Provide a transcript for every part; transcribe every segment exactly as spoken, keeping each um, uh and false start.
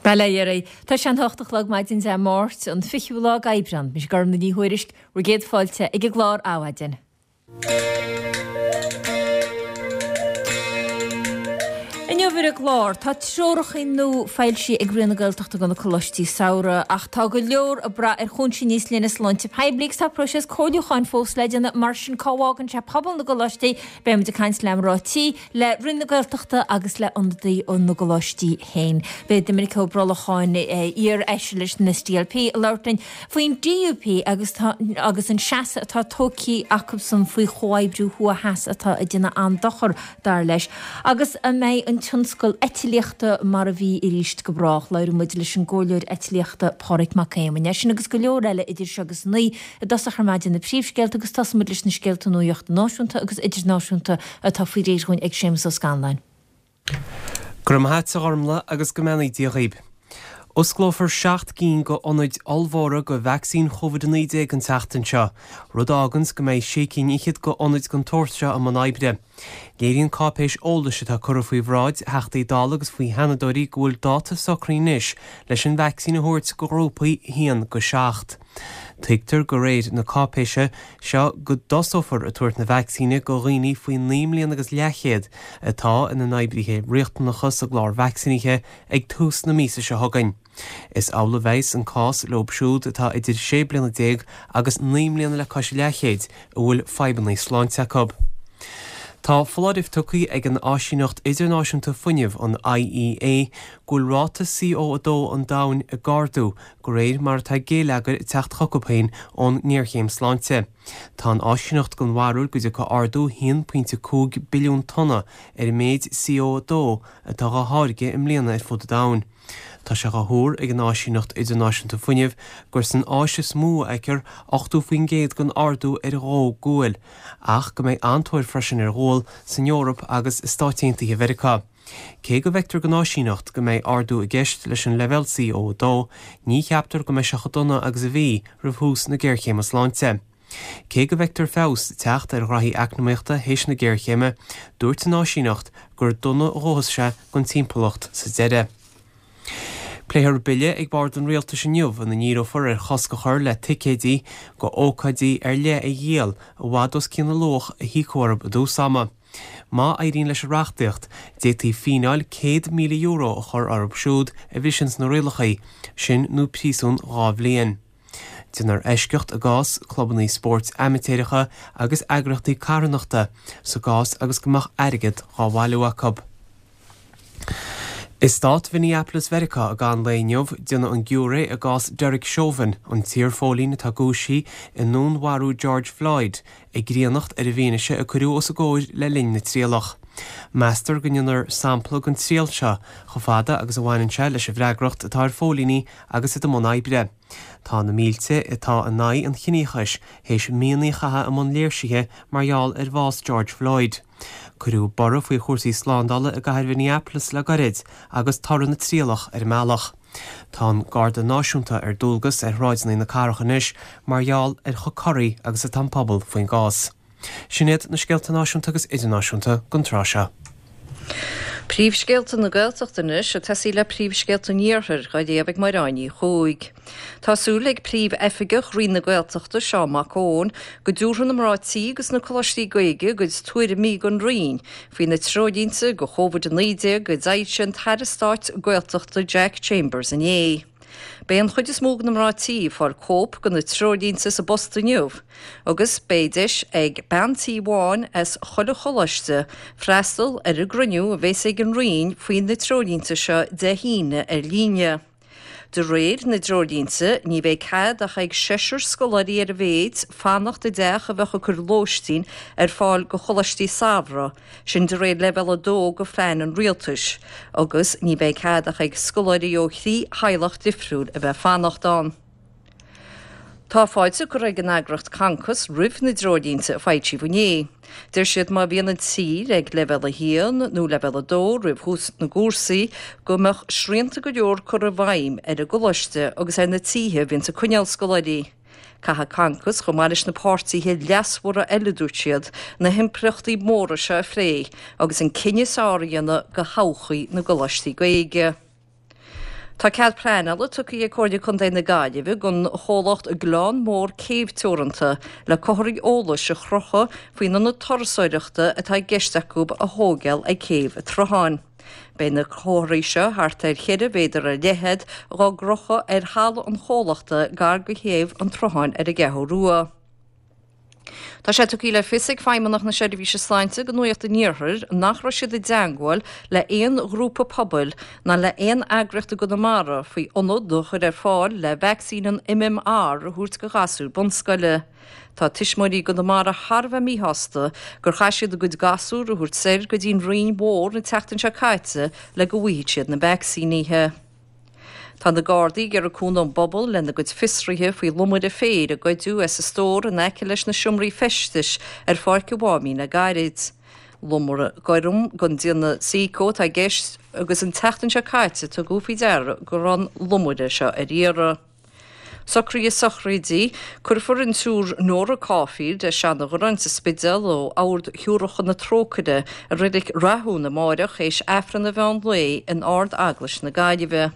Bail ó Dhia oraibh. Tá sé an hocht a chlog maidin Dé Máirt, an fichiú lá d'Aibreán. Mise Gormfhlaith Ní Thuairisg, bhur gcéad fáilte ag an gclár Adhmhaidin. Inniu ar an gclár, tá treoracha nua foilsithe ag Roinn na Gaeltachta do na coláistí samhraidh, ach tá go leor ag brath ar chúinsí níos leithne sláinte poiblí agus tá próiseas comhairliúcháin fós le déanamh, mar sin cá bhfágann sé pobal na gcoláistí? Beidh muid ag caint le mná tí, le Roinn na Gaeltachta agus le ionadaí ó na gcoláistí féin. Beidh Doiminic Ó Brolcháin, iar-fheisire leis an SDLP, ag labhairt linn faoin DUP agus tá agus an seasamh atá tógtha acusan faoi chomhoibriú thuaidh-theas atá ag déanamh an-dochar, dar leis. Agus an mbeidh an tionscal eitlíochta mar a bhí arís go brách? Labhróidh muid leis an gcomhairleoir eitlíochta Pádraig Mac Éamoinn. É sin agus go leor eile idir seo agus a naoi i dtosach ar maidin na príomhscéalta agus tosóidh muid leis na scéalta nuachta náisiúnta agus idirnáisiúnta atá faoi réir dhúinn ag Séamus Ó Scanláin. Go raibh maith a't a Ghormfhlaith agus go mbeannaí Dia dhaoib. Osclófar seacht gcinn go ionaid ollmhóra go vacsaín Covid a naoi déag an tseachtain seo, rud a fháganns go mbeidh sé cinn fhichead go ionaid den tsórt seo i mbun oibre. Léiríonn cáipéis eolais atá curtha faoi bhráid Theachtaí Dála agus faoi Sheanadóirí go bhfuil dáta socraithe anois leis an vacsaín a thabhairt go ghrúpaí a haon go seacht. Tuigtear de réir na cáipéise seo go dtosófar ag tabhairt na vacsaíne go dhaoine faoi naoi mbliana agus leathchéad atá ina n-oibrithe riachtanacha sa gclár vacsaínithe ag tús na míosa seo chugainn. Is amhlaidh a bheas an cás leob siúd atá idir sé bliana déag agus naoi mbliana le cois leathchéid a bhfuil fadhbanna sláinte acu. Tá foláireamh tugtha ag an Áisíneacht Idirnáisiúnta Fuinnimh, an IEA, go bhfuil ráta C O a dó an domhain ag ardú de réir mar atá géilleagar ag teacht chucu féin ón ngéarchéim sláinte. Tá an áisíneacht den bharúil go dtiocfaidh ardú haon pointe cúig billiún tonna ar an méid C O a dó atá dhá tháirgeadh i mbliana ar fud an domhain. Tá sé dhá thuar ag an Áisíneacht Idirnáisiúnta Fuinnimh gur san Áis is mó a fheicfear ochtó faoin gcéad den ardú ar dhó guail, ach go mbeidh an-tóir freisin ar ghual san Eoraip agus i Stáit Aontaithe Mheiriceá. Cé go bhfeictear don áisíneacht go mbeidh ardú i gceist leis an leibhéal C O a dó, ní cheaptar go mbeidh sé chomh dona agus a bhí roimh thús na géarchéime sláinte. Cé go bhfeictear feabhas ag teacht ar ghraithí eacnamaíochta théis na géarchéime, dúirt an áisíneacht gur dona a dhófas sé don timpeallacht sa deireadh. Pléifear bille ag bord an rialtais inniu ina ndíreofar ar chosc a chur le ticéidí go ócáidí ar leith a dhíol i bhfad os cionn an luach a híocadh orthu i dtús ama. Má éiríonn leis an reachtaíocht, d'fhéadfaí fíneáil céad míle euro a chur orthu siúd a bhriseann na rialacha, sin nó príosún dhá bhliain. Déanfar eisceacht i gcás clubanna spóirt amaitéaracha agus eagraíochtaí carthanachta sa gcás agus go mbeadh airgead dhá bhailiú acu. I stát Mhinneapolis Mheiriceá i gceann lae inniu, déanfaidh an giúiré i gcás Derek Chauvin, an t-iarphóilín atá cúisithe i ndúnmharú George Floyd, a gcríonnacht ar an bhfianaise a cuireadh os a gcomhair le linn na trialach. Meastar go ndéanfar sampla den triail seo chomh fada agus a bhaineann sé leis an bhfreagracht atá ar phóilíní agus iad i mbun oibre. Tá na mílte atá in aghaidh an chiníochais théis míonna a chaitheamh i mbun léirsithe mar gheall ar bhás George Floyd. Cuireadh borradh faoi chúrsaí slándála i gcathair Mhinneapolis le gairid agus toradh na trialach ar an mbealach. Tá an Garda Náisiúnta ar dualgas ar shráideanna na cathrach anois mar gheall ar chomh corraithe agus atá an pobal faoin gcás. Sin iad na scéalta náisiúnta agus idirnáisiúnta don tráth seo. Príomhscéalta na Gaeltachta anois ag tosaí le príomhscéalta an Iarthair, dhá léamh ag Máire Ní Chuaig. Tá súil ag Príomh-Oifigeach Roinn na Gaeltachta, Seán Mac Eoin, go dtabharfaidh na mná tí agus na coláistí Gaeilge a gcuid tuairimí don Roinn faoi na treoirlínte do Covid a naoi déag a d'fhoilsigh an tAire Stáit Gaeltachta Jack Chambers inné. Beidh an chuid is mó de na mná tí ag fáil cóip de na treoirlínte sa bpost inniu agus beidh deis ag bean tí amháin as chuile choláiste freastal ar an gcruinniú a bheas ag an Roinn faoi na treoirlínte seo Dé hAoine ar líne. De réir na dtreoirlínte, ní bheidh cead ach ag seisear scoláirí ar a mhéid fanacht i dteach a bheadh ag cur lóistín ar fáil go choláistí samhraidh, sin de réir leibhéal a dó de phlean an rialtais, agus ní bheidh cead ach ag scoláirí ó thrí theaghlach difriúil a bheith fanacht ann. Tá fáilte curtha ag an eagraíocht Concos roimh na dtreoirlínte a foilsíodh inné. Deir siad má bhíonn an tír ag leibhéal a haon nó leibhéal a dó roimh thús na gcúrsaí go mbeadh srianta go leor curtha i bhfeidhm ar an gcoláiste agus ar na tithe a bhíonn ag coinneáil scoláirí. Caithfidh Concos, chomh maith leis na páirtithe leasmhara eile, dúirt siad, na himpleachtaí móra seo a phlé agus an cinneadh is fearr a dhéanamh do thodhchaí na gcoláistí Gaeilge. Tá cead pleanála tugtha ag Comhairle Contae na Gaillimhe don chomhlacht Gleann Mór Céibh Teoranta le comharthaí eolais a chrochadh faoin ionad turasóireachta atá i gceist acu a thógáil ag Céibh an tSrutháin. Beidh na comharthaí seo thart ar cheithre mhéadar ar leithead dhá gcrochadh ar thalamh an chomhlachta gar go Céibh an tSrutháin ar an gCeathrú Rua. Tá sé tugtha le fios ag Feidhmeannacht na Seirbhíse Sláinte do Nuacht an Iarthair nach raibh siad i dteagmháil le haon ghrúpa pobail ná le haon eagraíocht i gConamara faoi ionad a chur ar fáil le vacsaín an MMR a thabhairt do ghasúir bunscoile. Tá tuismitheoirí i gConamara thar a bheith míshásta gur chaith siad a gcuid gasúr a thabhairt soir go dtí an Rinn Mhór an tseachtain seo caite le go bhfaighidh siad na vacsaínithe. Tá na Gardaí ag iarraidh cúnamh ón bpobal lena gcuid fiosruithe faoi lomaire féir a goideadh as an stór in aice leis na seomraí feistis ar Pháirc an Mháimín le gairid. Lomaire gorm den déanamh Seiko atá i gceist agus an tseachtain seo caite tugadh faoi deara go raibh an lomaire seo ar iarraidh. Socruithe sochraide, Cuirfear an tSiúr Nora Caulfield as Seanadh sa Spidéal ó Ord Shiúracha na Trócaire i Reilig Rathún amáireach théis Aifreann an mheán lae in Ard-Eaglais na Gaillimhe.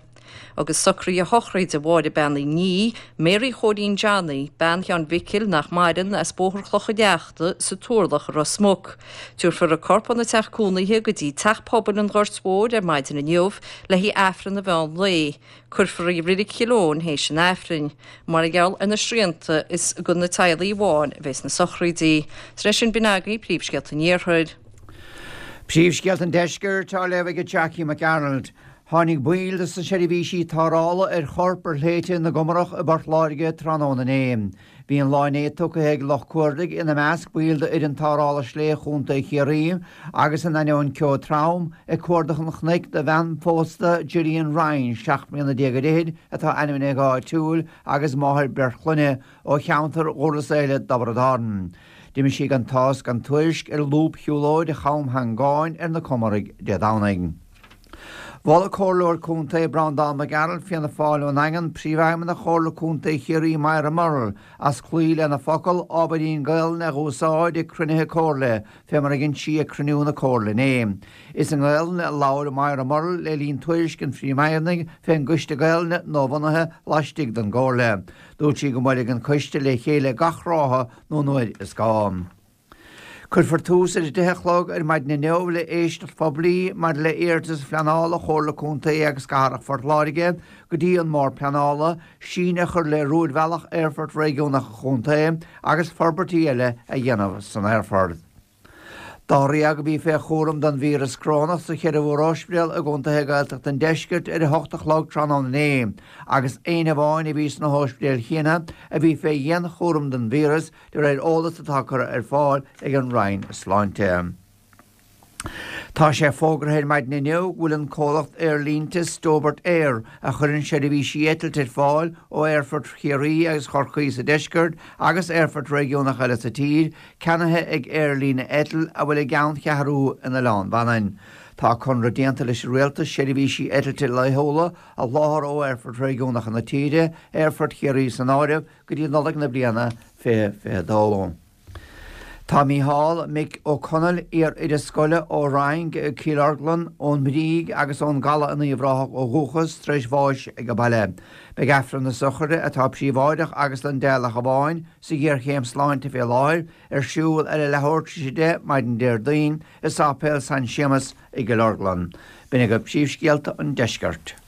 Agus socruithe shochraide Mháire Bean Uí Ní, Mary Chóilín Johnny, bean Sheáin Mhicil nach maireann, as Bóthar Chloch an Leachta sa Turlach i Ros Muc. Tabharfar a corp óna teach cónaithe go dtí Teach Pobail an Ghoirt Mhóir ar maidin inniu le haghaidh Aifreann an mheán lae. Cuirfear í i Reilig Chill Eoin théis an Aifrinn. Mar gheall ar na srianta is do na teaghlaigh amháin a bheas na sochraidí. Tar éis sin b'in agaibh príomhscéalta an Iarthair. Príomhscéalta an Deiscirt á léamh ag Jackie McArnold. Tháinig baill de na seirbhísí tarrthála ar chorp ar shléibhte na gComarach i bPort Láirge tráthnóna inné. Bhí an lá inné tugtha ag lucht cuardaigh, ina measc baill d'fhoireann tarrthála sléibhe Chontae Chiarraí, agus in ainneoin ceo trom, ag cuardach an chnoic do bhean phósta Gillian Ryan, seacht mbliana déag ar fhichid, atá ainmnithe go háitiúil, agus máthair beirt chlainne, ó cheantar Dhurlas Éile, Dtiobraid Árann. D'imigh sí gan tásc gan tuairisc ar lúbshiúlóid Cham Theangáin ar na Comaraigh Dé Domhnaigh. Mhol Comhairleoir Contae Breandán Mac Gearailt, Fianna Fáil ón nDaingean, Príomhfheidhmeannach Chomhairle Contae Chiarraí Moira Murrell as cloí lena focal ábhairín Gaelainne a dh'úsáid ag cruinnithe Comhairle, fé mar a dhein sí ag cruinniú na Comhairle inné. Is i nGaelainn a labhair Moira Murrell le linn tuairisc an Phríomhfheidhmeannaigh fén gCoiste Gaelainne nuabhunaithe laistigh den gComhairle. Dúirt sí go mbuailfidh an coiste le chéile gach ráithe nó nuair is gá. Cuirfear tús ar a deich a chlog ar maidin inniu le éisteacht phoiblí maidir le hiarratas phleanála Chomhairle Contae agus Cathrach Phort Láirge go dtí an mBord Pleanála, síneadh a chur le rúidbhealach Aerfort Réigiúnach an Chontae agus forbairtí eile a dhéanamh san aerfort. Dáréag a bhí fé chúram don víreas corónach sa cheithre mhórospidéal i gcontaetha Gaeltachta an deiscirt ar a hocht a chlog tráthnóna inné, agus éinne amháin a bhí sna hóispidéil chéanna a bhí fé dhianchúram don víreas, de réir eolas atá curtha ar fáil ag an Roinn Sláinte. Tá sé fógartha ar maidin inniu go bhfuil an comhlacht aerlínte Stobart Air, a chuireann seirbhísí eitilte ar fáil ó aerfoirt Chiarraí agus Chorcaí sa deisceart agus aerfoirt réigiúnacha eile sa tír, ceannaithe ag aerlíne Eitil a bhfuil a gceanncheathrú in Oileán Mhanainn. Tá conradh déanta leis an rialtas seirbhísí eitilte laethúla a sholáthar ó aerfoirt réigiúnacha na tíre, aerfort Chiarraí san áireamh, go dtí Nollaig na bliana fiche fiche dó. Tá Mícheál Mick Ó Conaill, iar-oide scoile ó Fhraing, Cill Orglan, ón mBríg agus ón gCaladh in Uíbh Ráthach ó dhúchas, tar éis bháis ag baile. Beidh Aifreann na sochraide, atá príobháideach agus don dteaghlach amháin, sa ghéarchéim sláinte fé láthair, ar siúl ar a leathuair tar éis a deich maidin Déardaoin i Sáipéal San Séamas i gCill Orglan. B'in agaibh príomhscéalta an deiscirt.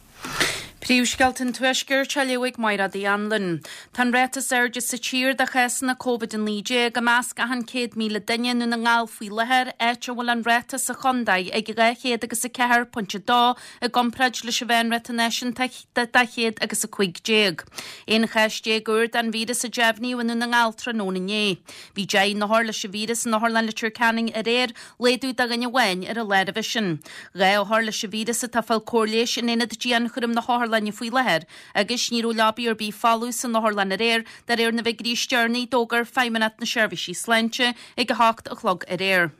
Príomhscéalta an Tuaiscirt á léamh ag Mairéad Uí Anluain. Tá an ráta is airde sa tír de chásanna Covid a naoi déag i measc achan céad míle duine i nDún na nGall faoi láthair, áit a bhfuil an ráta sa chontae ag dhá chéad agus a ceathair pointe a dó i gcomparáid leis an mheánráta náisiúnta de dhá chéad agus a cúig déag. Aon chás déag úr den víreas a deimhníodh i nDún na nGall tráthnóna inné. Bhí deich n-othar leis an víreas in Otharlann Leitir Ceanainn aréir, laghdú de dhuine amháin ar an lá roimhe sin. Dhá othar leis an víreas atá ag fáil cóir leighis in aonad dianchúraim na hotharlainne faoi láthair agus ní raibh leabaí ar bith folamh san otharlann aréir, de réir na bhfigiúirí is deireanaí a d'fhógair Feidhmeannacht na Seirbhísí Sláinte ag a hocht a chlog aréir.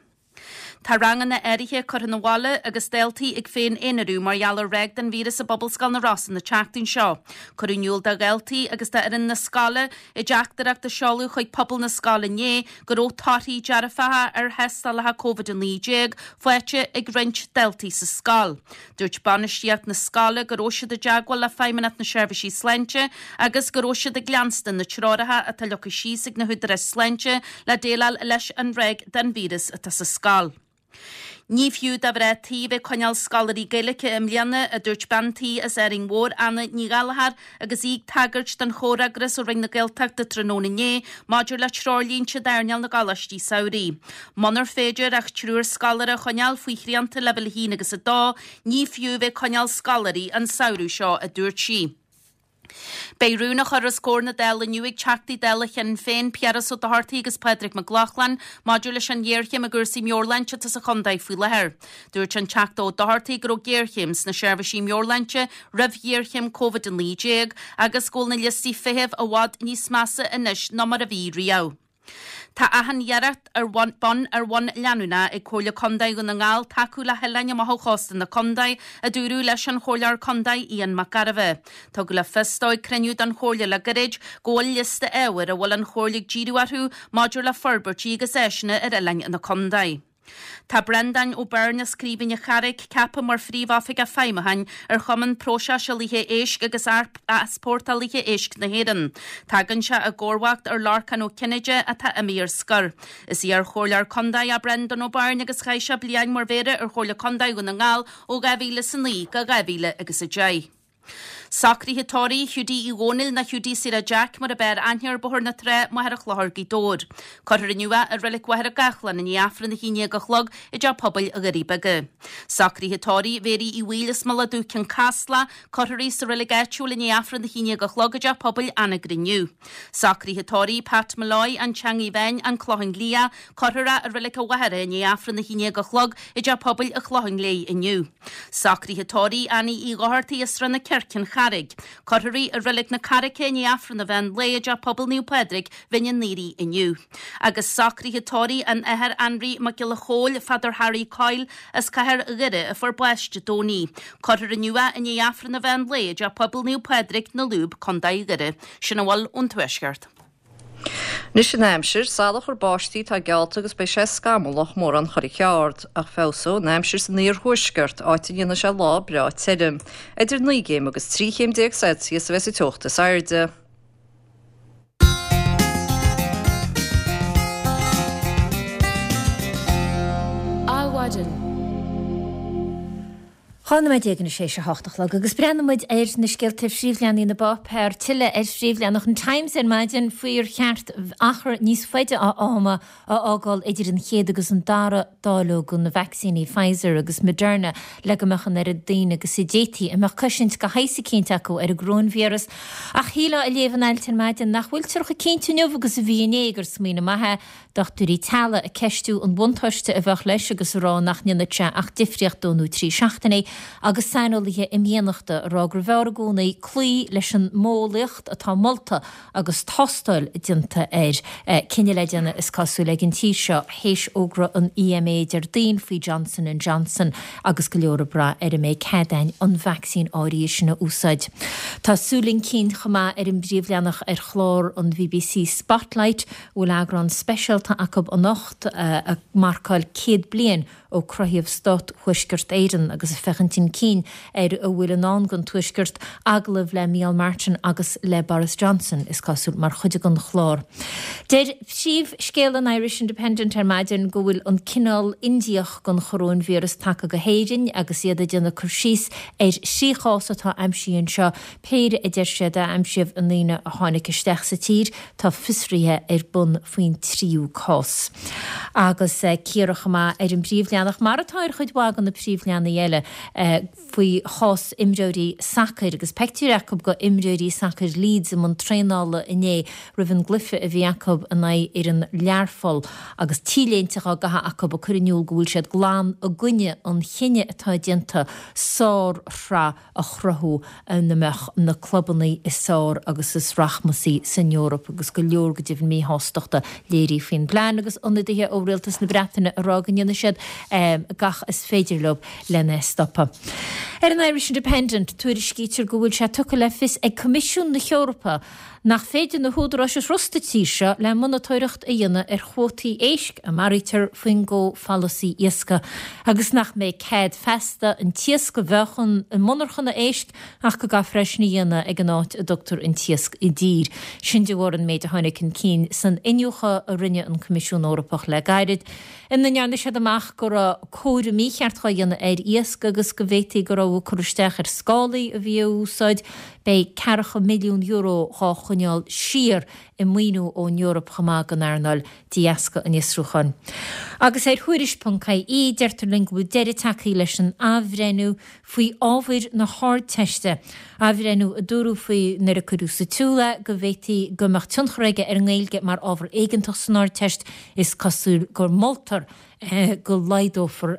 Tá ranganna áirithe curtha 'na bhaile agus daltaí ag féin-aonarú mar gheall ar ráig den víreas i bPobalscoil na Rosann an tseachtain seo. Cuireadh in iúl do dhaltaí agus d'fhoireann na scoile i dteachtaireacht a seoladh chuig pobal na scoile inné go raibh torthaí dearfacha ar thástálacha Covid a naoi déag faighte ag roinnt daltaí sa scoil. Dúirt bainistíocht na scoile go raibh siad i dteagmháil le Feidhmeannacht na Seirbhísí Sláinte agus go raibh siad ag leanstan na treoracha atá leagtha síos ag na húdaráis sláinte le déileáil leis an ráig den víreas atá sa scoil. Ní fiú do mhná tí bheith ag coinneáil scoláirí Gaeilge i mbliana, a dúirt bean tí as Árainn Mhór, Anna Ní Ghallchóir, agus í ag tagairt don chomhfhreagras ó Roinn na Gaeltachta tráthnóna inné maidir le treoirlínte d'earnáil na gcoláistí samhraidh. Munar féidir ach triúr scoláire a choinneáil faoi shrianta leibhéal a haon agus a dó, ní fiú bheith ag coinneáil scoláirí an samhradh seo, a dúirt sí. Beidh rún á chur os comhair na Dála inniu ag Teachtaí Dála Shinn Féin, Piaras Ó Dochartaigh agus Pádraig Mac Lochlainn maidir leis an ghéarchéim i gcúrsaí meabhairshláinte atá sa chontae faoi láthair. Dúirt an Teachta Ó Dochartaigh go raibh géarchéim sna seirbhísí meabhairshláinte roimh ghéarchéim Covid a naoi déag agus go bhfuil na liostaí feithimh i bhfad níos measa anois ná mar a bhí riamh. Tá achan iarracht ar bun ar bhonn leanúnach ag Comhairle Contae Dhún na nGall tacú le hoileáin amach ó chósta na contae, a dúradh leis an Chomhairleoir Contae Ian Mac Gairbheith. Tugadh le fios dó ag cruinniú den Chomhairle le gairid go bhfuil liosta ábhair a bhfuil an Chomhairle ag díriú orthu maidir le forbairtí agus áiseanna ar oileáin na contae. Tá Breandán Ó Beirn as Craoibhín an Charraigh ceaptha mar Phríomhoifigeach Feidhmiúcháin ar Chumann Próiseálaithe Éisc agus Easpórtálaithe Éisc na hÉireann. Tagann sé i gcomharbacht ar Lorcán Ó Cinnéide atá imithe ar scor. Is iar-chomhairleoir contae é Breandán Ó Beirn agus chaith sé bliain mar mhéara ar Chomhairle Contae Dhún na nGall ó dhá mhíle is a naoi go dhá mhíle agus a deich. Socruithe tórraimh Hiúdaí Uí Dhónaill nó Hiúdaí Sarah Jack mar ab fhearr aithne air Bóthar na Trá, Machaire Chlochair, Gaoth Dobhair. Cuirfear inniu é i Reilig Mhachaire Gathlán i ndiaidh Aifreann a haon déag a chlog i dTeach Pobail Dhoirí Beaga. Socruithe tórraimh Mhéirí Uí Bhaoill as Mullach Dubh Cionn Caslach, cuirfear í sa reilig áitiúil i ndiaidh Aifreann a haon déag a chlog i dTeach Pobail Anagaire inniu. Socruithe tórraimh Pat Molloy, An Teangaidh Bháin, An Clochán Liath, cuirfear é i Reilig a' Mhachaire i ndiaidh Aifreann a haon déag a chlog i dTeach Pobail an Chlocháin Léith inniu. Socruithe tórraimh Annie Uí Dhochartaigh as Srath na Circe, An Charraig. Cuirfear í i Reilig na Carraice i ndiaidh Aifreann an mheán lae i dTeach Pobail Naomh Pádraig, Bhinn an Aoraigh inniu. Agus socruithe tórraimh an Athar Anraí Mac Giolla Chóill, Father Harry Coyle, as Cathair Dhoire a fuair bás Dé Domhnaigh. Cuirfear inniu é i ndiaidh Aifreann an mheán lae i dTeach Pobail Naomh Pádraig, Na Lúb, Contae Dhoire. Sin a bhfuil ón Tuaisceart. Anois an aimsir, salachar báistí atá geallta agus beidh sé scamallach mórán chorr cheard, ach feabhsóidh an aimsir san iarthuaisceart, áit a ndéanfaidh sé lá breá tirim. Idir naoi gcéim agus trí chéim déag Celsius a bheas an teocht is airde. Adhmhaidin. Dhá nóiméad déag anois théis a hocht a chlog agus breathnaíonn muid ar na scéalta ar phríomhleathanaigh na bpáipéar, tuilleadh ar phríomhleathanach an Times ar maidin faoi ar cheart achar níos faide ama a fhágáil idir an chéad agus an dara dáileog de na vacsaíní Pfizer agus Moderna le go mbeadh an oiread daoine agus a d'fhéadfaí a mbeadh cosaint de shaghas eicínt acu ar an gcoróinvíreas. Ach shílfeá ag léamh an ailt ar maidin nach bhfuiltear chomh cinnte inniu agus a bhí inné gur smaoineamh maith é Dochtúirí teaghlaigh ag ceistiú an bhuntáiste a bheadh leis agus a rá nach ndéanfadh sé ach difríocht dó nó trí seachtainí, agus saineolaithe imdhíonachta a rá gurbh fhearr i gcónaí cloí leis an modheolaíocht atá molta agus tástáil déanta air. Cinneadh le déanamh is cosúil ag an tír seo théis fhógra an EMA Déardaoin faoi Johnson and Johnson agus go leor ag brath ar an mbeidh cead againn an vacsaín áirithe sin a úsáid. Tá súil chun cinn chomh maith ar an bpríomhleathanach ar chlár an bbc Spotlight, a bhfuil eagrán speisialta acu anocht ag marcáil céad bliain ó cruthaíodh Stát Thuaisceart Éireann agus ag féachaint chun cinn ar a bhfuil i ndán don Tuaisceart, agallamh le Micheál Martin agus le Boris Johnson, is cosúil, mar chuid den chlár. Deir príomhscéal an Irish Independent ar maidin go bhfuil an cineál Indiach den choróinvíreas tagtha go hÉirinn agus iad ag déanamh cur síos ar thrí chás atá aimsithe anseo, péire a deir siad a aimsíodh i ndaoine a tháinig isteach sa tír. Tá fiosruithe ar bun faoin tríú cás. Agus cíoradh chomh maith ar an bpríomhleathanach, mar atá ar chuid mhaith de na príomhleathanaigh eile, faoi chás imreoirí sacair agus pictiúr acu go imreoirí sacair Leeds i mbun traenála inné roimh an gcluiche a bhí acu in aghaidh fhoireann Learpholl agus T-léinte á gcaitheamh acu ag cur in iúl go bhfuil siad glan i gcoinne an chinnidh atá déanta sárshraith a chruthú ina mbeadh na clubanna is fearr agus is rachmasaí san Eoraip agus go leor go deimhin míshástachta léirithe faoin bplean agus ionadaithe ó Rialtas na Breataine ag rá go ndéanfaidh siad gach is féidir leo lena stopadh. Ar an Irish Independent, tuairiscítear go bhfuil sé tugtha le fios ag Coimisiún na hEorpa nach féidir na húdaráis a thrust sa tír seo le monatóireacht a dhéanamh ar chuótaí éisc a maraítear faoin gcomhpholasaí iascaigh agus nach mbeidh cead feasta an t-iasc a mheáchan i monarchana éisc ach go gcaithfear é sin a dhéanamh ag an áit a dtugtar an t-iasc i dtír. Sin de bharr an méid a tháinig chun cinn san iniúchadh a rinne an Coimisiún Eorpach le gairid, ina ndearna siad amach go raibh cóiriú mícheart á dhéanamh ar iasc agus go bhféadfaí go raibh cur isteach ar scálaí a bhí á úsáid. Beidh ceathracha milliún euro dhá choinneáil siar i maoiniú ón Eoraip chomh maith don earnáil de dheasca an fhiosrúcháin. Agus ar Thuairisc ponc ie deirtear linn go bhfuil deireadh tagtha leis an athbhreithniú faoi ábhair na hArdteiste, athbhreithniú a dúradh faoi nuair a cuireadh sa tsiúl é go bhféadfaí go mbeadh tionchar aige ar an nGaeilge mar ábhar éigeantach san Ardteist. Is cosúil gur moltar go laghdófar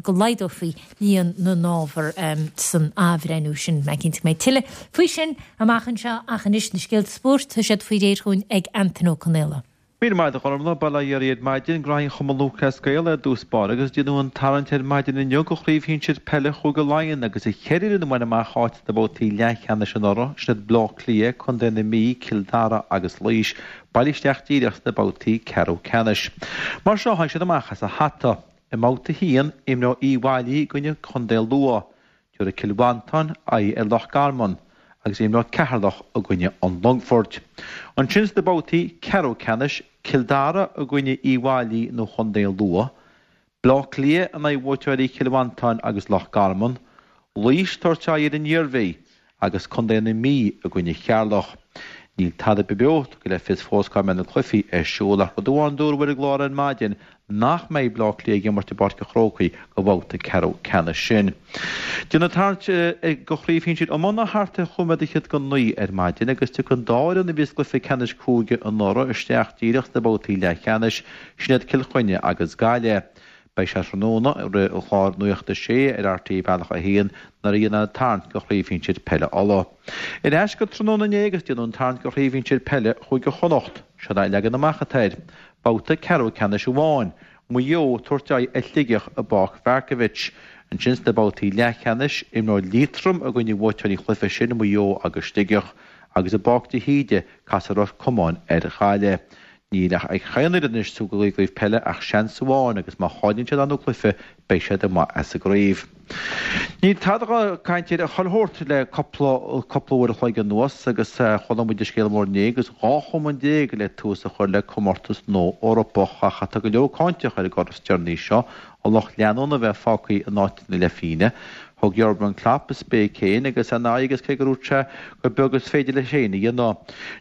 go laghdófaí líon na n-ábhar san athbhreithniú sin. Mé cinnte go mbeidh tuilleadh faoi sin amach anseo ach anois na scéalta spóirt, tá siad faoi réir chugainn ag Antain Ó Conaola. Míle maith agat a Ghormfhlaith, bail ó Dhia oraibh ar maidin, Gnóthaí Chumann Lúthchleas Gael ar dtús báire agus déanadh an tarraingt ar maidin inniu do chraobh shinsir peile Chúige Laighean agus an cheithre fhoireann a bhain amach áit sna babhtaí leathcheannais anuraidh, sin iad Bleá Cliath, Contae na Mí, Cill Dara agus Laois, bailithe isteach díreach sna babhtaí ceathrú ceannais. Mar seo a tháinig siad amach as an hata. I mbabhta a haon, imreoidh Uíbh Fhailí i gcoinne Chontae Lú. Tabharfaidh Cill Mhantáin aghaidh ar Loch Garman agus imreoidh Ceatharlach i gcoinne an Longfoirt. Ansin sna babhtaí ceathrú ceannais, Cill Dara i gcoinne Uíbh Fhailí nó Chontae Lú, Bleá Cliath in aghaidh bhuaiteoirí Chill Mhantáin agus Loch Garman, Laois ag tabhairt aghaidh ar an Iarmhí agus Contae na Mí i gcoinne Cheatharlach. Níl tada beo tugtha le fios fós cá mbeidh na cluichí ar siúl ach rud amháin dúradh ar an gclár ar maidin nach mbeidh Bleá Cliath ag imirt i bPáirc an Chrócaigh go bhabhta ceathrú ceannais sin. Déanadh tarraingt go chraobh shinsir iomána thart ar chúig nóiméad fhichead go naoi ar maidin agus tiocfaidh an dá fhoireann a bhí sa gcluiche ceannais cúige anuraidh isteach díreach sna babhtaí leathcheannais, sin iad Cill Chainnigh agus Gaillimh. Beidh sé tráthnóna roimh an chlár Nuacht a Sé ar RTÉ Bealach a haon nuair a dhéanfar an tarraingt go Chraobh Shinsir Peile Uladh. Ar ais go tráthnóna inné agus déanadh an tarraingt go Chraobh Shinsir Peile Chúige Chonnacht. Seo é an leagan amach atá air. Babhta ceathrú ceannais amháin, Maigh Eo ag tabhairt aghaidh ar Shligeach i bPáirc Mharkievicz. Ansin sna babhtaí leathcheannais, imreoidh Liatroim i gcoinne bhuaiteoirí an chluiche sin, Maigh Eo agus Sligeach, agus i bPáirc de hÍde, casfaidh Ros Comáin ar Ghaillimh. Níl ach ag chaon fhoireann anois sa gcraobh peile ach seans amháin agus má chailleann siad an cluiche beidh siad amuigh as an gcraobh. Níl tada dhá caint ar a chuile shórt le cúpla cúpla uair a chloig anuas agus chuala muid an scéal mór inné agus dhá chumann déag le tús a chur le comórtas nua Eorpach ach tá go leor cáinteach ar an gcor is deireanaí seo an lucht leanúna a bheith fágtha in áit na leithphingine. Thug Jurgen Klopp a spéic féin agus an aghaidh agus cé go ndúirt sé gur beag is féidir leis féin a dhéanamh,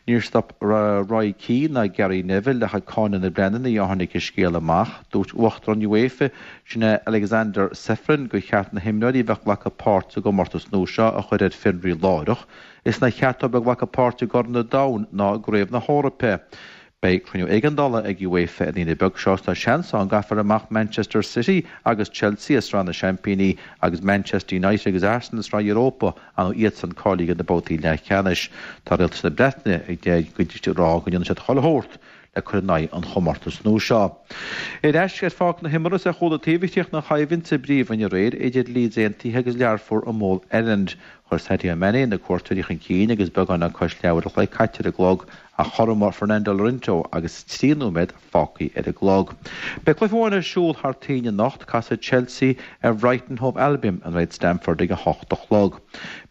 níor stop Roy Keane ná Gary Neville ach ag cáineadh na bpleananna ó tháinig an scéal amach. Dúirt Uachtarán UEFA, sin é Alexander Ceferin, gur cheart na himreoirí a bheadh ag glacadh páirt sa gcomórtas nua seo a chur ar fionraí láithreach. Is nár cheart dóibh bheith ag glacadh páirt i gCorn an Domhain ná i gCraobh na hEorpa. Beidh cruinniú éigeandála ag UEFA an Aoine beag seo is tá seans ann go gcaithfear amach Manchester City agus Chelsea as Sraith na Seaimpíní agus Manchester United agus Arsenal as Sraith Europa, nó iadsan cáilithe do na babhtaí leathcheannais. Tá Rialtas na Breataine ag rá go ndéanfaidh siad chuile shórt le cur in aghaidh an chomórtais nua seo. Ar ais ar pháirc na himeartha is ar chúl an taobh a chríochnaigh an choimhlint sa bPríomhroinn aréir idir Leeds Aontaithe agus Learpholl i Mol Elland. Chuir Sadio Mané na cuairteoirí chun cinn agus beagán le cois leathuair a chloig caite ar an gclog ach chothromaigh Fernando Llorente agus trí nóiméad fágtha ar an gclog. Beidh cluiche amháin ar siúl thar toinn anocht, casfaidh Chelsea ar Bhrighton Hove Albion in Red Stamford ag a hocht a chlog.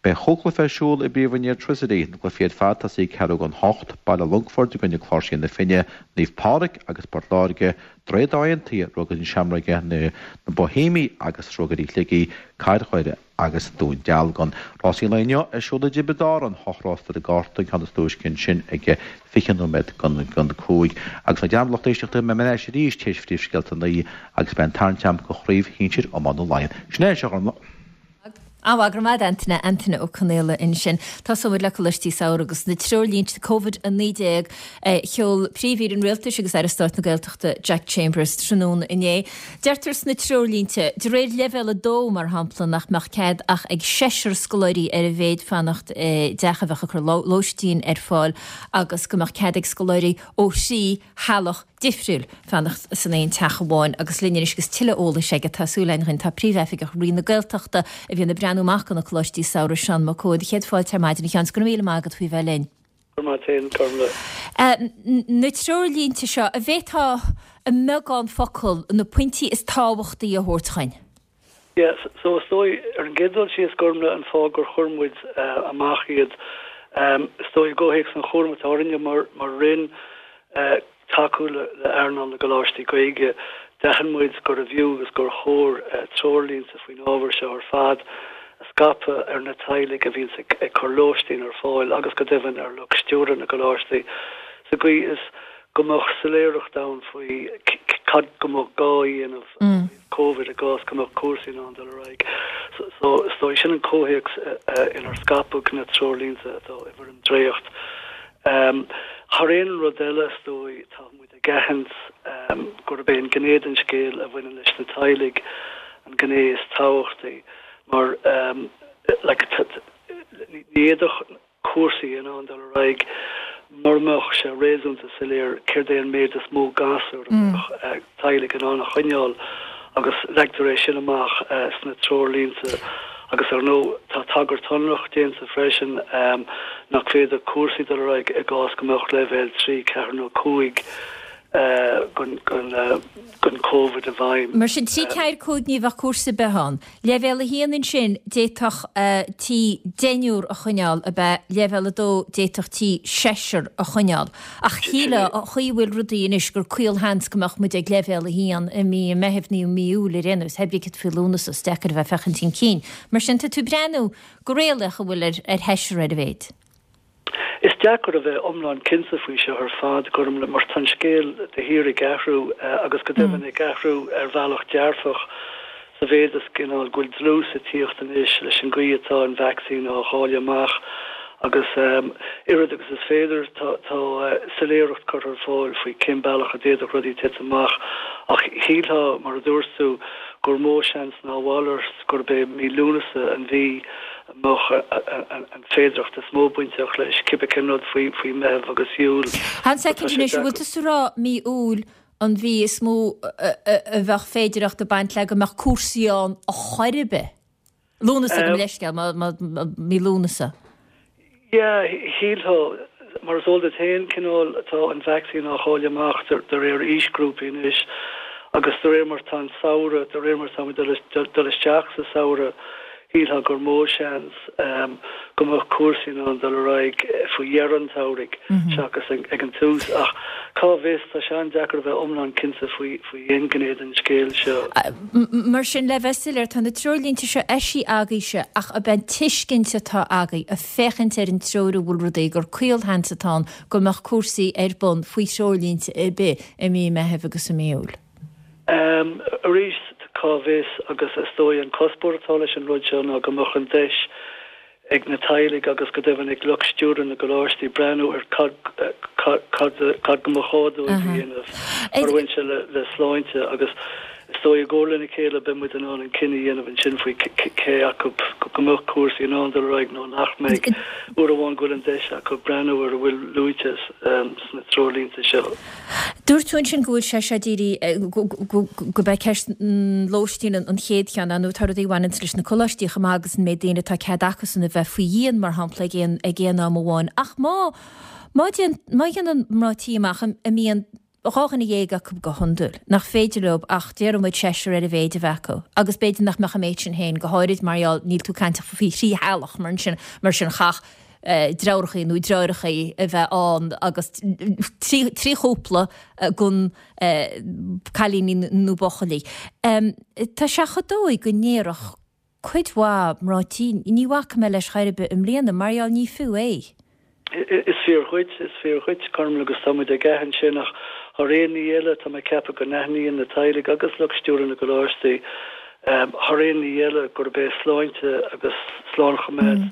Beidh chúig chluiche ar siúl i bPríomhroinn Airtricity, na cluichí ar fad tosaithe ag ceathrú don hocht, Baile Longfoirt i gcoinne Cláirsí na Finne, Naomh Pádraig agus Port Láirge, Droichead Átha Aontaithe, Ruagairí na Seamróige, na Boihéamaigh agus Ruagairí Shligigh, Cathair Dhoire agus Dún Dealgan. Rásaí an lae inniu ar siúl i dTiobraid Árann, hocht rás ar an gcárta, an ceann is túisce ansin ag fiche nóiméad don cúig. Agus ná dearmad lucht éisteachta, beidh mé ar ais arís tar éis phríomhscéalta a naoi agus beidh an tarraingt agam do chraobh shinsir iomána Laighean. Sin é anseo, a Ghormfhlaith. An-mhaith, go raibh maith agat Antaine, Antaine Ó Conaola ansin. Tosóidh muid le Coláistí Samhraidh agus na treoirlínte Covid a naoi déag a sheol Príomh-Aoire an Rialtais agus Aire Stáit na Gaeltachta Jack Chambers tráthnóna inné. Deirtear sna treoirlínte, de réir leibhéal a dó mar shampla, nach mbeadh cead ach ag seisear scoláirí ar a mhéad fanacht i dteach a bheadh ag cur lóistín ar fáil agus go mbeadh cead ag scoláirí ó thrí theaghlach difriúil fanacht san aon teach amháin agus linn anois agus tuilleadh eolais aige tá súil againn tá Príomh-Oifigeach Roinn na Gaeltachta a bhíonn ag breathnú amach do na Coláistí Samhraidh, Seán Mac Cóid. Céad fáilte ar maidin a Sheáin, 's go raibh míle maith agat faoi bheith linn. Go raibh maith agat féin, Gormlaith. Na treoirlínte seo, an bhféadfá i mbeagán focal na pointí is tábhachtaí a thabhairt chugainn? Yeah, so is dóigh, ar an gcéad dul síos, Gormlaith, an fáth gur chuir muid amach iad, is dóigh i gcomhthéacs an chúraim atá orainne mar Roinn tacú le hearnáil na gcoláistí Gaeilge, d'aithin muid gurbh fhiú agus gur chóir treoirlínte faoin ábhar seo ar fad a scaipeadh ar na teaghlaigh a bhíonns ag cur lóistín ar fáil agus go deimhin ar lucht stiúrtha na gcoláistí sa gcaoi is go mbeadh soiléireacht ann faoi cad go mbeadh gá a dhéanamh ó thaobh Covid i gcás go mbeadh cúrsaí in ann dul ar aghaidh. So is dóigh sin an comhthéacs inar scaipeadh na treoirlínte atá i bhfoirm dréacht. Thar aon rud eile is dóigh tá muid ag aithint gurb é an gné den scéal a bhaineann leis na teaghlaigh an gné is tábhachtaí mar like ní fhéadfadh cúrsaí in ann dul ar aghaidh mura mbeadh sé réasúnta soiléir céard é an méid is mó gasúr a mbeadh teaghlaigh in ann a choinneáil agus leagtar é sin amach sna treoirlínte agus ar ndóigh tá tagairt shonrach déanta freisin nach féidir cúrsaí dul ar aghaidh i gcás go mbeadh leibhéal trí, ceathair nó cúig den Covid i bhfeidhm. Mar sin, trí, ceathair, cúig ní bheadh cúrsa ar bith ann. Leibhéal a haon ansin, d'fhéadfadh tí deichniúr a choinneáil, ab ea? Leibhéal a dó, d'fhéadfadh tí seisear a choinneáil. Ach shílfeá, an chaoi a bhfuil rudaí anois, gur caolsheans go mbeadh muid ag leibhéal a haon i mí an Mheithimh nó i mí Iúil ar aon nós. Pé ar bith céard faoi Lúnasa, is deacair a bheith ag féachaint chun cinn. Mar sin, tá tú ag breathnú go réalaíoch an bhfuil ar sheisear ar a mhéad. Is deacair a bheith iomlán cinnte faoi seo ar fad, Gormlaith, mar tá an scéal de shíor ag athrú agus go deimhin ag athrú ar bhealach dearfach sa mhéid is cineál go bhfuil dlús ag tíocht anois leis an gcaoi atá an vacsaín á dháileadh amach agus oiread agus is féidir tá soiléireacht curtha ar fáil faoi cén bealach a d'fhéadfadh rudaí titim amach ach shílfeá, mar a dúirt tú, gur mó seans ná a mhalairt gurb é mí Lúnasa an mhí a mbeadh an féidearthacht is mó bainteach leis, cibé cén rud faoi Mheitheamh agus Iúil. Fan soicind anois, an bhfuil tusa ag rá mí Iúil an mhí is mó a bheadh féidearthacht ag baint le go mbeadh cúrsaí ann a chor ar bith? Lúnasa, gabh mo leithscéal, mí Lúnasa. Yeah, shílfeá, mar is eol duit féin, cineál, tá an vacsaín á dháileadh amach de réir aoisghrúpaí anois agus de réir mar tá an samhradh, de réir mar tá muid ag dul isteach sa samhradh, shílfeá gur mó seans go mbeadh cúrsaí in ann dul ar aghaidh faoi dheireadh an tsamhraidh seachas ag an tús. Ach cá bhfios, tá sé an-deacair a bheith iomlán cinnte faoi aon ghné den scéal seo. Mar sin, le bheith soiléir, tá na treoirlínte seo eisithe agaibhse ach ab é an tuiscint atá agaibh, ag féachaint ar an treo a bhfuil rudaí, gur caolsheans atá ann go mbeadh cúrsaí ar bun faoi threoirlínte ar bith i mí Meithimh agus i mí Iúil? Arís, cá bhfios, agus is dóigh an cuspóir atá leis an rud seo ná go mbeadh an deis ag na teaghlaigh agus go deimhin ag lucht stiúrtha na gcoláistí breathnú ar cad cad go mba chóir dóibh a dhéanamh mar a bhain sé le sláinte agus is dóigh i gcomhar lena chéile beidh muid in ann an cinneadh a dhéanamh ansin faoi cé acu go mbeadh cúrsaí in ann dul ar aghaidh nó nach mbeidh, uair amháin go bhfuil an deis acu breathnú ar a bhfuil luaite sna treoirlínte seo. Dúirt tú ansin go bhfuil sé seo dírithe, gurb é ceist an lóistín an chéad cheann, nó tá rudaí a bhaineanns leis na coláistí chomh maith agus an méid daoine atá cead acusan a bheith faoi dhíon, mar shampla, ag aon ag aon am amháin. Ach má má má dhéanann mná tí amach a mbíonn dhá dhuine dhéag acu go hiondúil, nach féidir leo ach, déarfaidh muid, seisear ar a mhéid a bheith acu, agus b'fhéidir nach mbeadh an méid sin féin, go háirid mar gheall, níl tú ag caint ach faoi thrí theaghlach mar sin, mar sin chaithfeadh deartháireachaí nó deirfiúrachaí a bheith ann agus trí trí chúpla den cailíní nó buachaillí. Tá sé chomh dóigh go ndéarfadh cuid mhaith mná tí, ní bhacfaidh mé leis chor ar bith i mbliana mar gheall ní fiú é. Is fíor dhuit, is fíor dhuit, Gormlaith, agus tá muid ag aithint sin ach thar aon ní eile tá mé ag ceapadh go n-aithníonn na teaghlaigh agus lucht stiúrtha na gcoláistí Thar aon ní eile, gurb é sláinte agus slánchoimeád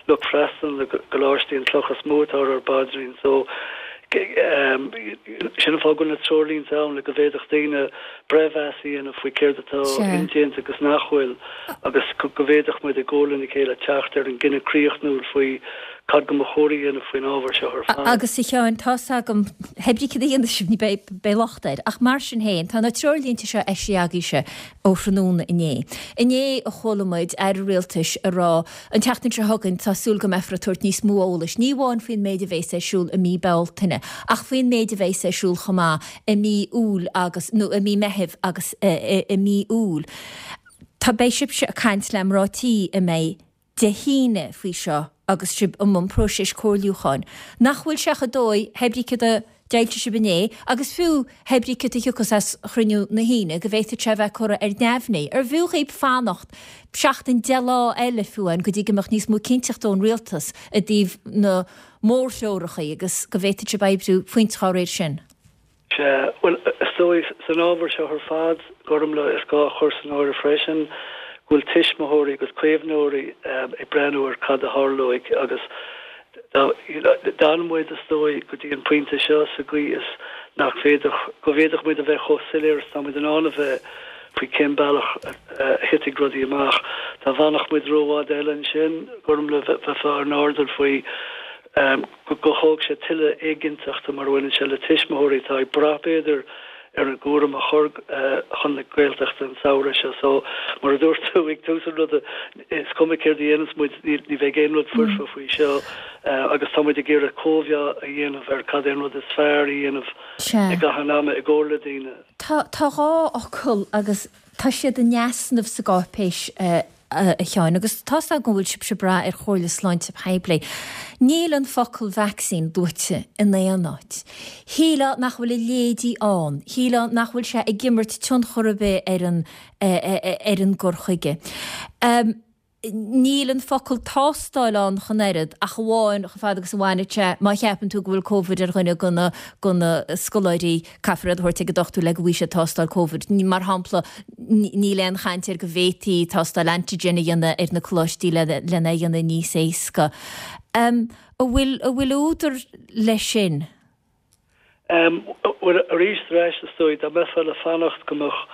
lucht freastail na gcoláistí an chloch is mó atá ar ár bpaidrín. So, sin an fáth go bhfuil na treoirlínte ann, le go bhféadfadh daoine breithmheas a dhéanamh faoi céard atá indéanta agus nach bhfuil, agus go bhféadfadh muid i gcomhar lena chéile teacht ar an gcinneadh críochnúil faoi cad go mba chóir a dhéanamh faoin ábhar seo ar fad. Agus a Sheáin, tá's agam, pé brí cad a dhéanfaidh sibh, ní beidh, beidh locht air. Ach mar sin féin, tá na treoirlínte seo eisithe agaibhse ó thráthnóna inné. Inné a chuala muid Aire Rialtais ag rá, an tseachtain seo chugainn tá súil go mbeifear ag tabhairt níos mó eolais, ní amháin faoin méid a bhéas ar siúl i mí Bealtaine, ach faoin méid a bhéas ar siúl chomh maith i mí Iúil agus, nó i mí Meithimh agus i mí Iúil. Tá, beidh sibhse ag caint le mná tí a mbeidh Dé hAoine faoi seo agus sibh i mbun próiseas comhairliúcháin. Nach bhfuil sé chomh dóigh, pé brí céard a d'fhoilsigh sibh inné, agus fiú pé brí céard a thiocfas as chruinniú na hAoine, go bhféadfadh sé a bheith curtha ar neamhní. Arbh fhiú dhaoib fanacht seachtain, deich lá eile fiú amháin go dtí go mbeadh níos mó cinnteachta ón Rialtas i dtaobh na mórthreoracha agus go bhféadfadh sibh oibriú faoint dhá réir sin? Sea, bhuel, is dóigh, san ábhar seo ar fad, Gormlaith, is gá a chur san áireamh freisin go bhfuil tuismitheoirí agus caomhnóirí ag breathnú ar cad a tharlóidh agus d'fhan muid, is dóigh, go dtí an pointe seo sa gcaoi is nach bhféadfadh, go bhféadfadh muid a bheith chomh soiléir is atá muid in ann a bheith faoi cén bealach a thitfidh rudaí amach. Dá bhfanfadh muid rófhada eile ansin, Gormlaith, bheifeá ar an airdeall faoi go gcothódh sé tuilleadh éiginnteachta mar a bhaineann sé le tuismitheoirí atá ag brath, b'fhéidir, ar an gcúram a chur chun na Gaeltachta an samhradh seo. So, mar a dúirt tú ag tús an ruda, is cuma céard a dhéanas muid, ní bheidh aon rud foirfe faoi seo agus tá muid ag iarraidh cóimheá a dhéanamh ar cad é an rud is fearr a dhéanamh i gcaitheamh an ama i gcomhar le daoine. Tá dhá fhocal agus tá siad in easnamh sa gcáipéis, a Sheáin, agus tá's agam go bhfuil sibhse ag brath ar chomhairle sláinte poiblí. Níl an focal vaccine luaite in aon áit. Shílfeá nach bhfuil a leithéidí ann. Shílfeá nach bhfuil sé ag imirt tionchar ar bith ar an ar an gcur chuige. Níl an focal tástáil ann ach an oiread, ach amháin chomh fada agus a bhaineann sé má cheapann tú go bhfuil Covid ar dhuine de na de na scoláirí, caithfear iad a thabhairt ag an dochtúir le go bhfaighidh siad tástáil Covid. Mar shampla, níl aon chaint ar go bhféadfaí tástáil antigen a dhéanamh ar na coláistí lena dhéanamh níos éasca. An bhfuil, an bhfuil údar leis sin? Bhuel, arís ar ais, is dóigh, dá mbeifeá le fanacht go mbeadh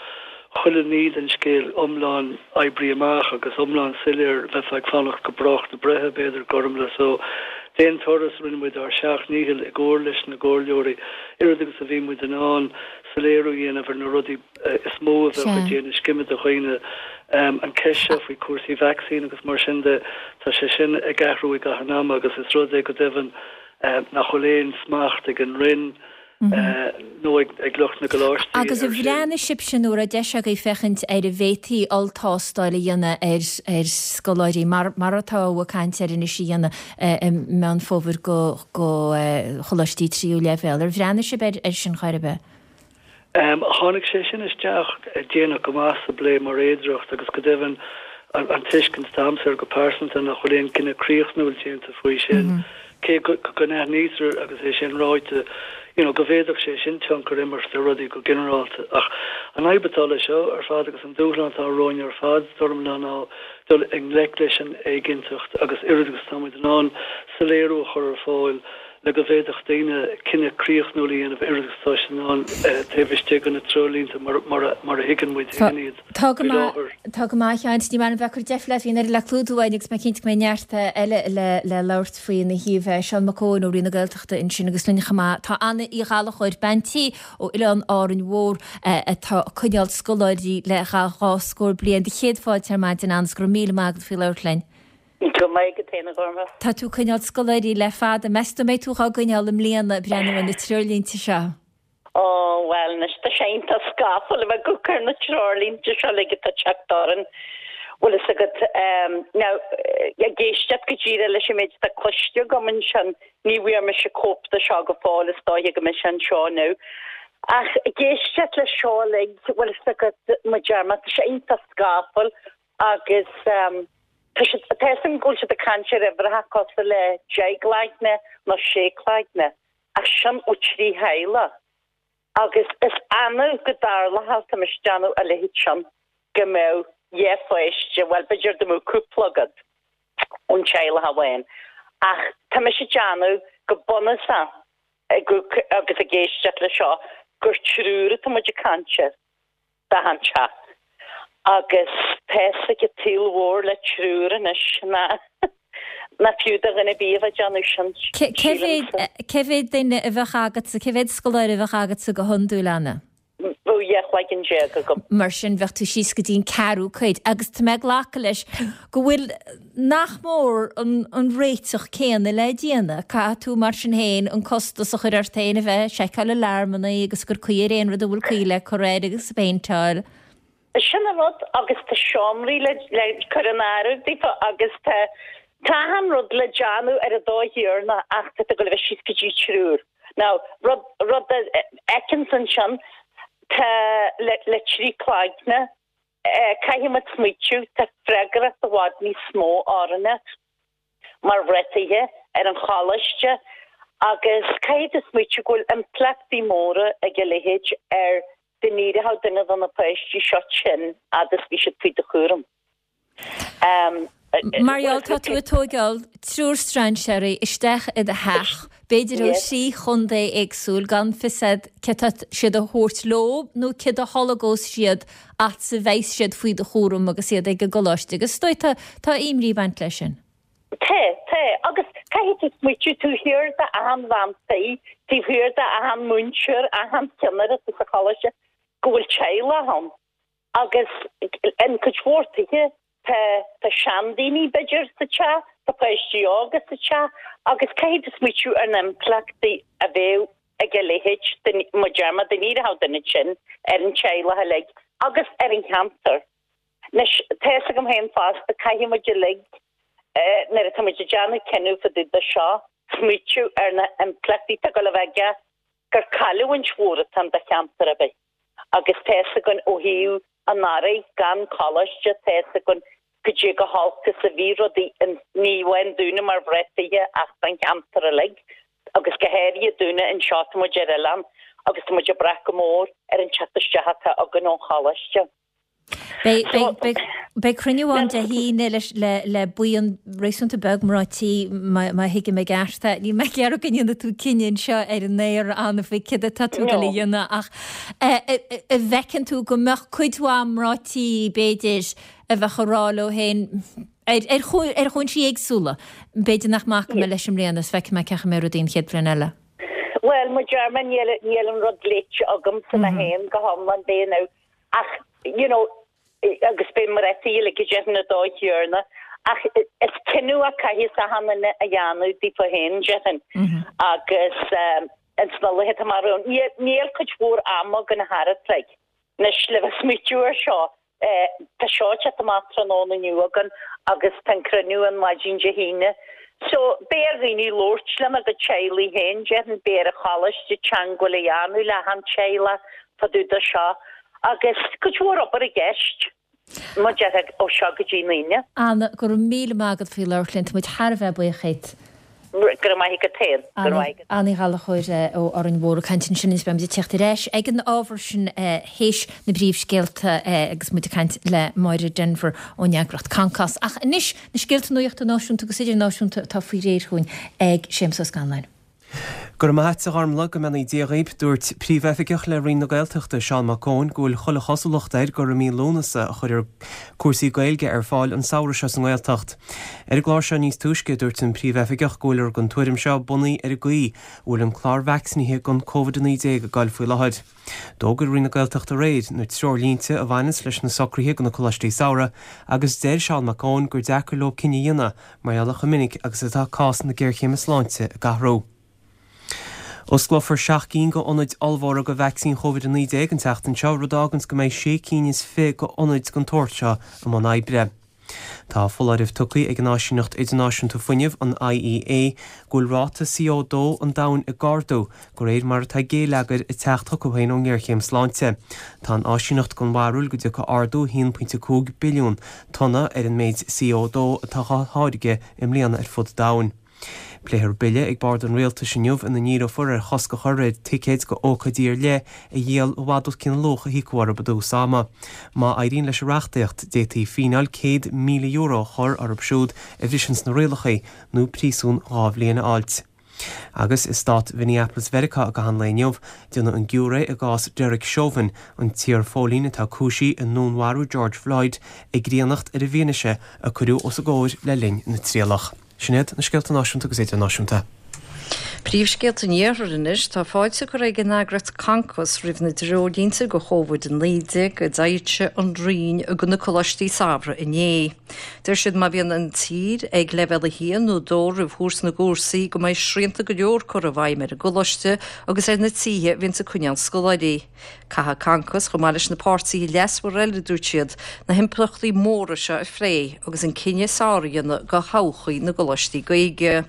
chuile ní den scéal iomlán oibrithe amach agus iomlán soiléir, bheifeá ag fanacht go brách na breithe, b'fhéidir, Gormlaith. So, d'aon turas, rinne muid ár seacht ndícheall i gcomhar leis na gcomhairleoirí, oiread agus a bhí muid in ann, soiléiriú a dhéanamh ar na rudaí is mó a bheadh ag déanamh scime do dhaoine. An cheist seo faoi chúrsaí vacsaín agus mar sin de, tá sé sin ag athrú i gcaitheamh an ama agus is rud é go deimhin nach bhfuil aon smacht ag an Roinn nó ag lucht na gcoláistí air Agus ar sin. bhreathnaigh sibhse nó an raibh deis agaibh féachaint ar an bhféadfaí olltástáil a dhéanamh ar ar scoláirí mar mar atá ag caint air anois a dhéanamh i Meán Fómhair go go choláistí tríú leibhéal. Ar bhreathnaigh sibh air air sin chor ar bith? Tháinig sé sin isteach déanach go maith sa bplé mar fhéidearthacht agus go deimhin an tuiscint atá agamsa air go pearsanta nach bhfuil aon cinneadh críochnúil déanta faoi sin, cé go n-aithnítear agus é sin ráite you know go bhféadfadh sé sin tionchar a imirt ar rudaí go ginearálta. Ach an fhadhb atá leis seo ar fad agus an dúshlán atá romhainn ar fad, Gormlaith, ná dul i ngleic leis an éiginnteacht agus oiread agus atá muid in ann soiléiriú a chur ar fáil le go bhféadfadh daoine cinneadh críochnúil a dhéanamh oiread agus atá siad in ann taobh istigh de na treoirlínte mar a thuigeann muid féin iad Tá go faoi maith, láthair. tá go maith, a Sheáin. Ní maith liom bheith ag cur deifre leat, bhí an oiread le clúdú againn agus mé cinnte go mbeidh neart eile le le labhairt faoi ina thaobh. Seán Mac Eoin ó Roinn na Gaeltachta ansin agus linn chomh maith tá Anna Uí Ghallchóir, bean tí ó Oileán Árainn Mhór atá ag coinneáil scoláirí le dhá scór bliain. Do chéad fáilte ar maidin Anna is go raibh míle maith agat faoi labhairt linn. Go maith agat féin, a Ghormlaith. Tá tú ag coinneáil scoláirí le fada. Meas tú an mbeidh tú dhá gcoinneáil i mbliana ag breathnú ar na treoirlínte seo? Ó, bhuel, anois tá sé iontach scafall a bheith ag amharc ar na treoirlínte seo uilig atá ag teacht orainn. Bhfuil fhios agat, now, ag éisteacht go díreach leis an méid atá cloiste agam ansin, ní bhfuair mise cóip de seo go fóill, is dóiche go mbeidh sé anseo now. Ach ag éisteacht leis seo uilig, bhfuil fhios agat, mar a deir mé, tá sé iontach scafall agus tá siad, tá fhios agam go bhfuil siad ag caint ar uimhreacha cosúil le deich gcloigne nó sé cloigne, ach sin ó trí theaghlach. Agus is annamh go dtarlódh tá mise ag déanamh a leithéid sin. go mbeadh dhá pháiste, bhuel b'fhéidir dá mbeadh cúpla agat ón teaghlach amháin ach tá mise ag déanamh go bunúsach ag agus ag éisteacht le seo gur triúr atá muid ag caint air d'achan teach agus tá's ag an tsaol mhór le triúr anois ná ná fiú do dhuine ar bith a bheith ag déanamh sin, Cé sílimse. Cé mhéad duine a bheadh agatsa, cé mhéad scoláire a bheadh agatsa go hiondúil, Anna? Bheadh dhá chloigeann déag agam. Mar sin bheadh tú síos go dtí an ceathrú cuid agus tá mé ag glacadh leis go bhfuil nach mór an an réiteach céanna le déanamh. Caithfidh tú mar sin féin an costas a chur ort féin a bheith ag seiceáil alarmanna agus ag cur caoi ar aon rud a bhfuil caoi le cur air agus ag péinteáil. Sin an rud agus tá seomraí le le cur in áireamh daofa agus tá tá achan rud le déanamh ar an dóigh chéanna ach tá tú ag dul a bheith síos go dtí triúr. Now rud rud a fheiceanns ansin tá le le trí cloigne caithfidh muid smaoitiú tá freagracht i bhfad níos mó orainne mar mhná tithe ar an choláiste agus caithfidh tú smaoitiú go bhfuil impleachtaí móra ag a leithéid ar dá n-éireodh duine de na páistí seo tinn fhad is bhí siad faoi do chúram. Mar gheall tá tú ag tóigeáil triúr strainséirí isteach i do theach, b'fhéidir ó thrí chontae éagsúil, gan fios a'd cé tá siad a thabhairt leo nó cé a tholgós siad fhad a bheas siad faoi do chúram agus iad ag an gcoláiste agus is dóigh tá tá imní ag baint leis sin. Tá, tá, agus caithfidh tú smaoitiú taobh thiar d'achan bhean tí, taobh thiar d'achan múinteoir, achan cheannaire sa choláiste go bhfuil teaghlach ann agus in cuid mhór tithe tá tá seandaoine b'fhéidir sa teach, tá páistí óga sa teach agus caithfidh tú smaoitiú ar na impleachtaí a bheadh ag a leithéid mar a deir mé dá n-éireodh duine tinn ar an teaghlach uilig agus ar an cheantar. Anois tá fhios agam féin fosta caithfidh muid uilig nuair atá muid ag déanamh cinneadh fá dtaobh de seo smaoitiú ar na impleachtaí atá ag dul a bheith aige gur cailliúint mhór atá ann do cheantar ar bith. Agus tá fhios againn ó thaobh anuraidh gan coláiste, tá fhios againn goidé chomh holc is a bhí rudaí in, ní amháin dúinne mar mhná tithe ach don cheantar uilig agus go háirithe dúinne anseo, tá muid ar oileán agus tá muid ag brath go mór ar an teacht isteach atá againn ón choláiste. Beidh cruinniú ann Dé hAoine le buíon réasúnta beag mná tí má thuigim i gceart é. Níl mé ag iarraidh go ndéanfaidh tú cinneadh anseo ar an aer Anna faoi céard atá tú ag dul a dhéanamh ach an bhfeiceann tú go mbeadh cuid mhaith mná tí b'fhéidir a bheadh ag rá leo féin ar chúinsí éagsúla, b'fhéidir nach mbacfaidh mé leis i mbliana is feicfidh mé cén chaoi a mbeidh rudaí an chéad bhliain eile. Bhuel, mar a deir mé níl an rud léite agamsa mé féin go hiomlán b'é nó ach you know agus beidh mná tí uilig ag déanamh an dóigh chéanna ach is cinneadh a caithfidh achan duine a dhéanamh daofa féin déarfainn agus ins na laetha amach romhainn níl cuid mhór ama againn thart like anois le bheith smaoitiú ar seo. Tá seo ag teacht amach tráthnóna inniu againn agus tá an cruinniú an maidin Dé hAoine. So, beidh ar dhaoine labhairt lena gcuid teaghlaigh féin, déarfainn, beidh ar an choláiste teagmháil a dhéanamh le achan teaghlach fá dtaobh de seo agus cuid mhór obair i gceist, mar a déarfá, ó seo go dtí an Aoine. Anna, go raibh míle maith agat faoi labhairt linn, tá muid thar a bheith buíoch díot. Go raibh maith agat féin. Go raibh maith agat. Anna Ní Ghallchóir ó Árainn Mhór ag caint ansin agus beimid ag teacht ar ais ag an ábhar sin théis na bpríomhscéalta agus muid ag caint le Máire Denvir ón eagraíocht Concos. Ach anois na scéalta nuachta náisiúnta agus idirnáisiúnta atá faoi réir chugainn ag Séamus Ó Scanláin. Go raibh maith a't a Ghormlaith, go mbeannaí Dia dhaoib. Dúirt Príomhoifigeach le Roinn na Gaeltachta, Seán Mac Eoin, go bhfuil chuile chosúlacht air gur i mí Lúnasa a chuirfear cúrsaí Gaeilge ar fáil an samhradh seo sa nGaeltacht. Ar an gclár seo níos túisce, dúirt an Príomhoifigeach go bhfuiltear den tuairim seo bunaithe ar an gcaoi a bhfuil an clár vacsaínithe don Covid a naoi déag ag goil faoi láthair. D'fhógair Roinn na Gaeltachta aréir na treoirlínte a bhaineanns leis na socruithe do na coláistí samhraidh agus deir Seán Mac Eoin gur deacair leo cinneadh a dhéanamh mar gheall ar chomh minic agus atá cás na géarchéime sláinte ag athrú. Osclófar seacht gcinn d'ionaid ollmhóra do vacsaín Covid a naoi déag an tseachtain seo, rud a fháganns go mbeidh sé cinn is fiche d'ionaid den tsórt seo i mbun oibre. Tá foláireamh tugtha ag an Áisíneacht Idirnáisiúnta Fuinnimh, an I E A, go bhfuil ráta C O dó an domhain ag ardú, de réir mar atá géilleagar ag teacht chucu féin ón ngéarchéim sláinte. Tá an áisíneacht den bharúil go dtiocfaidh ardú a haon pointe cúig billiún tonna ar an méid C O dó atá á tháirgeadh i mbliana ar fud an domhain. Pléifear bille ag bord an rialtais inniu ina ndíreofar ar chosc a chur ar ticéid go ócáidí ar leith a dhíol i bhfad os cionn an luach a híocadh orthu i dtús ama. Má éiríonn leis an reachtaíocht, d'fhéadfaí fíneáil céad míle euro a chur orthu siúd a bhriseanns na rialacha nó príosún dhá bhliain a fháilt. Agus i stát Mhinneapolis Mheiriceá i gcaitheamh an lae inniu, déanadh an giúiré i gcás Derek Chauvin, an t-iarphóilín atá cúisithe i ndúnmharú George Floyd, ag griannacht ar an bhfianaise a cuireadh os a gcomhair le linn na trialach. Sin iad na scéalta náisiúnta agus idirnáisiúnta. Príomhscéalta an Iarthair anois, tá fáilte curtha ag an eagraíocht Concos roimh na dtreoirlínte go Covid a naoi déag a d'fhoilsigh an Roinn do na coláistí samhraidh inné. Deir siad má bhíonn an tír ag leibhéal a haon nó dó roimh thús na gcúrsaí go mbeidh srianta go leor curtha i bhfeidhm ar an gcoláiste agus ar na tithe a bhíonns ag coinneáil scoláirí. Caithfidh Concos, chomh maith leis na páirtithe leasmhara eile, a dúirt siad, na himpleachtaí móra seo a phlé agus an cinneadh is fearr a dhéanamh do thodhchaí na gcoláistí Gaeilge.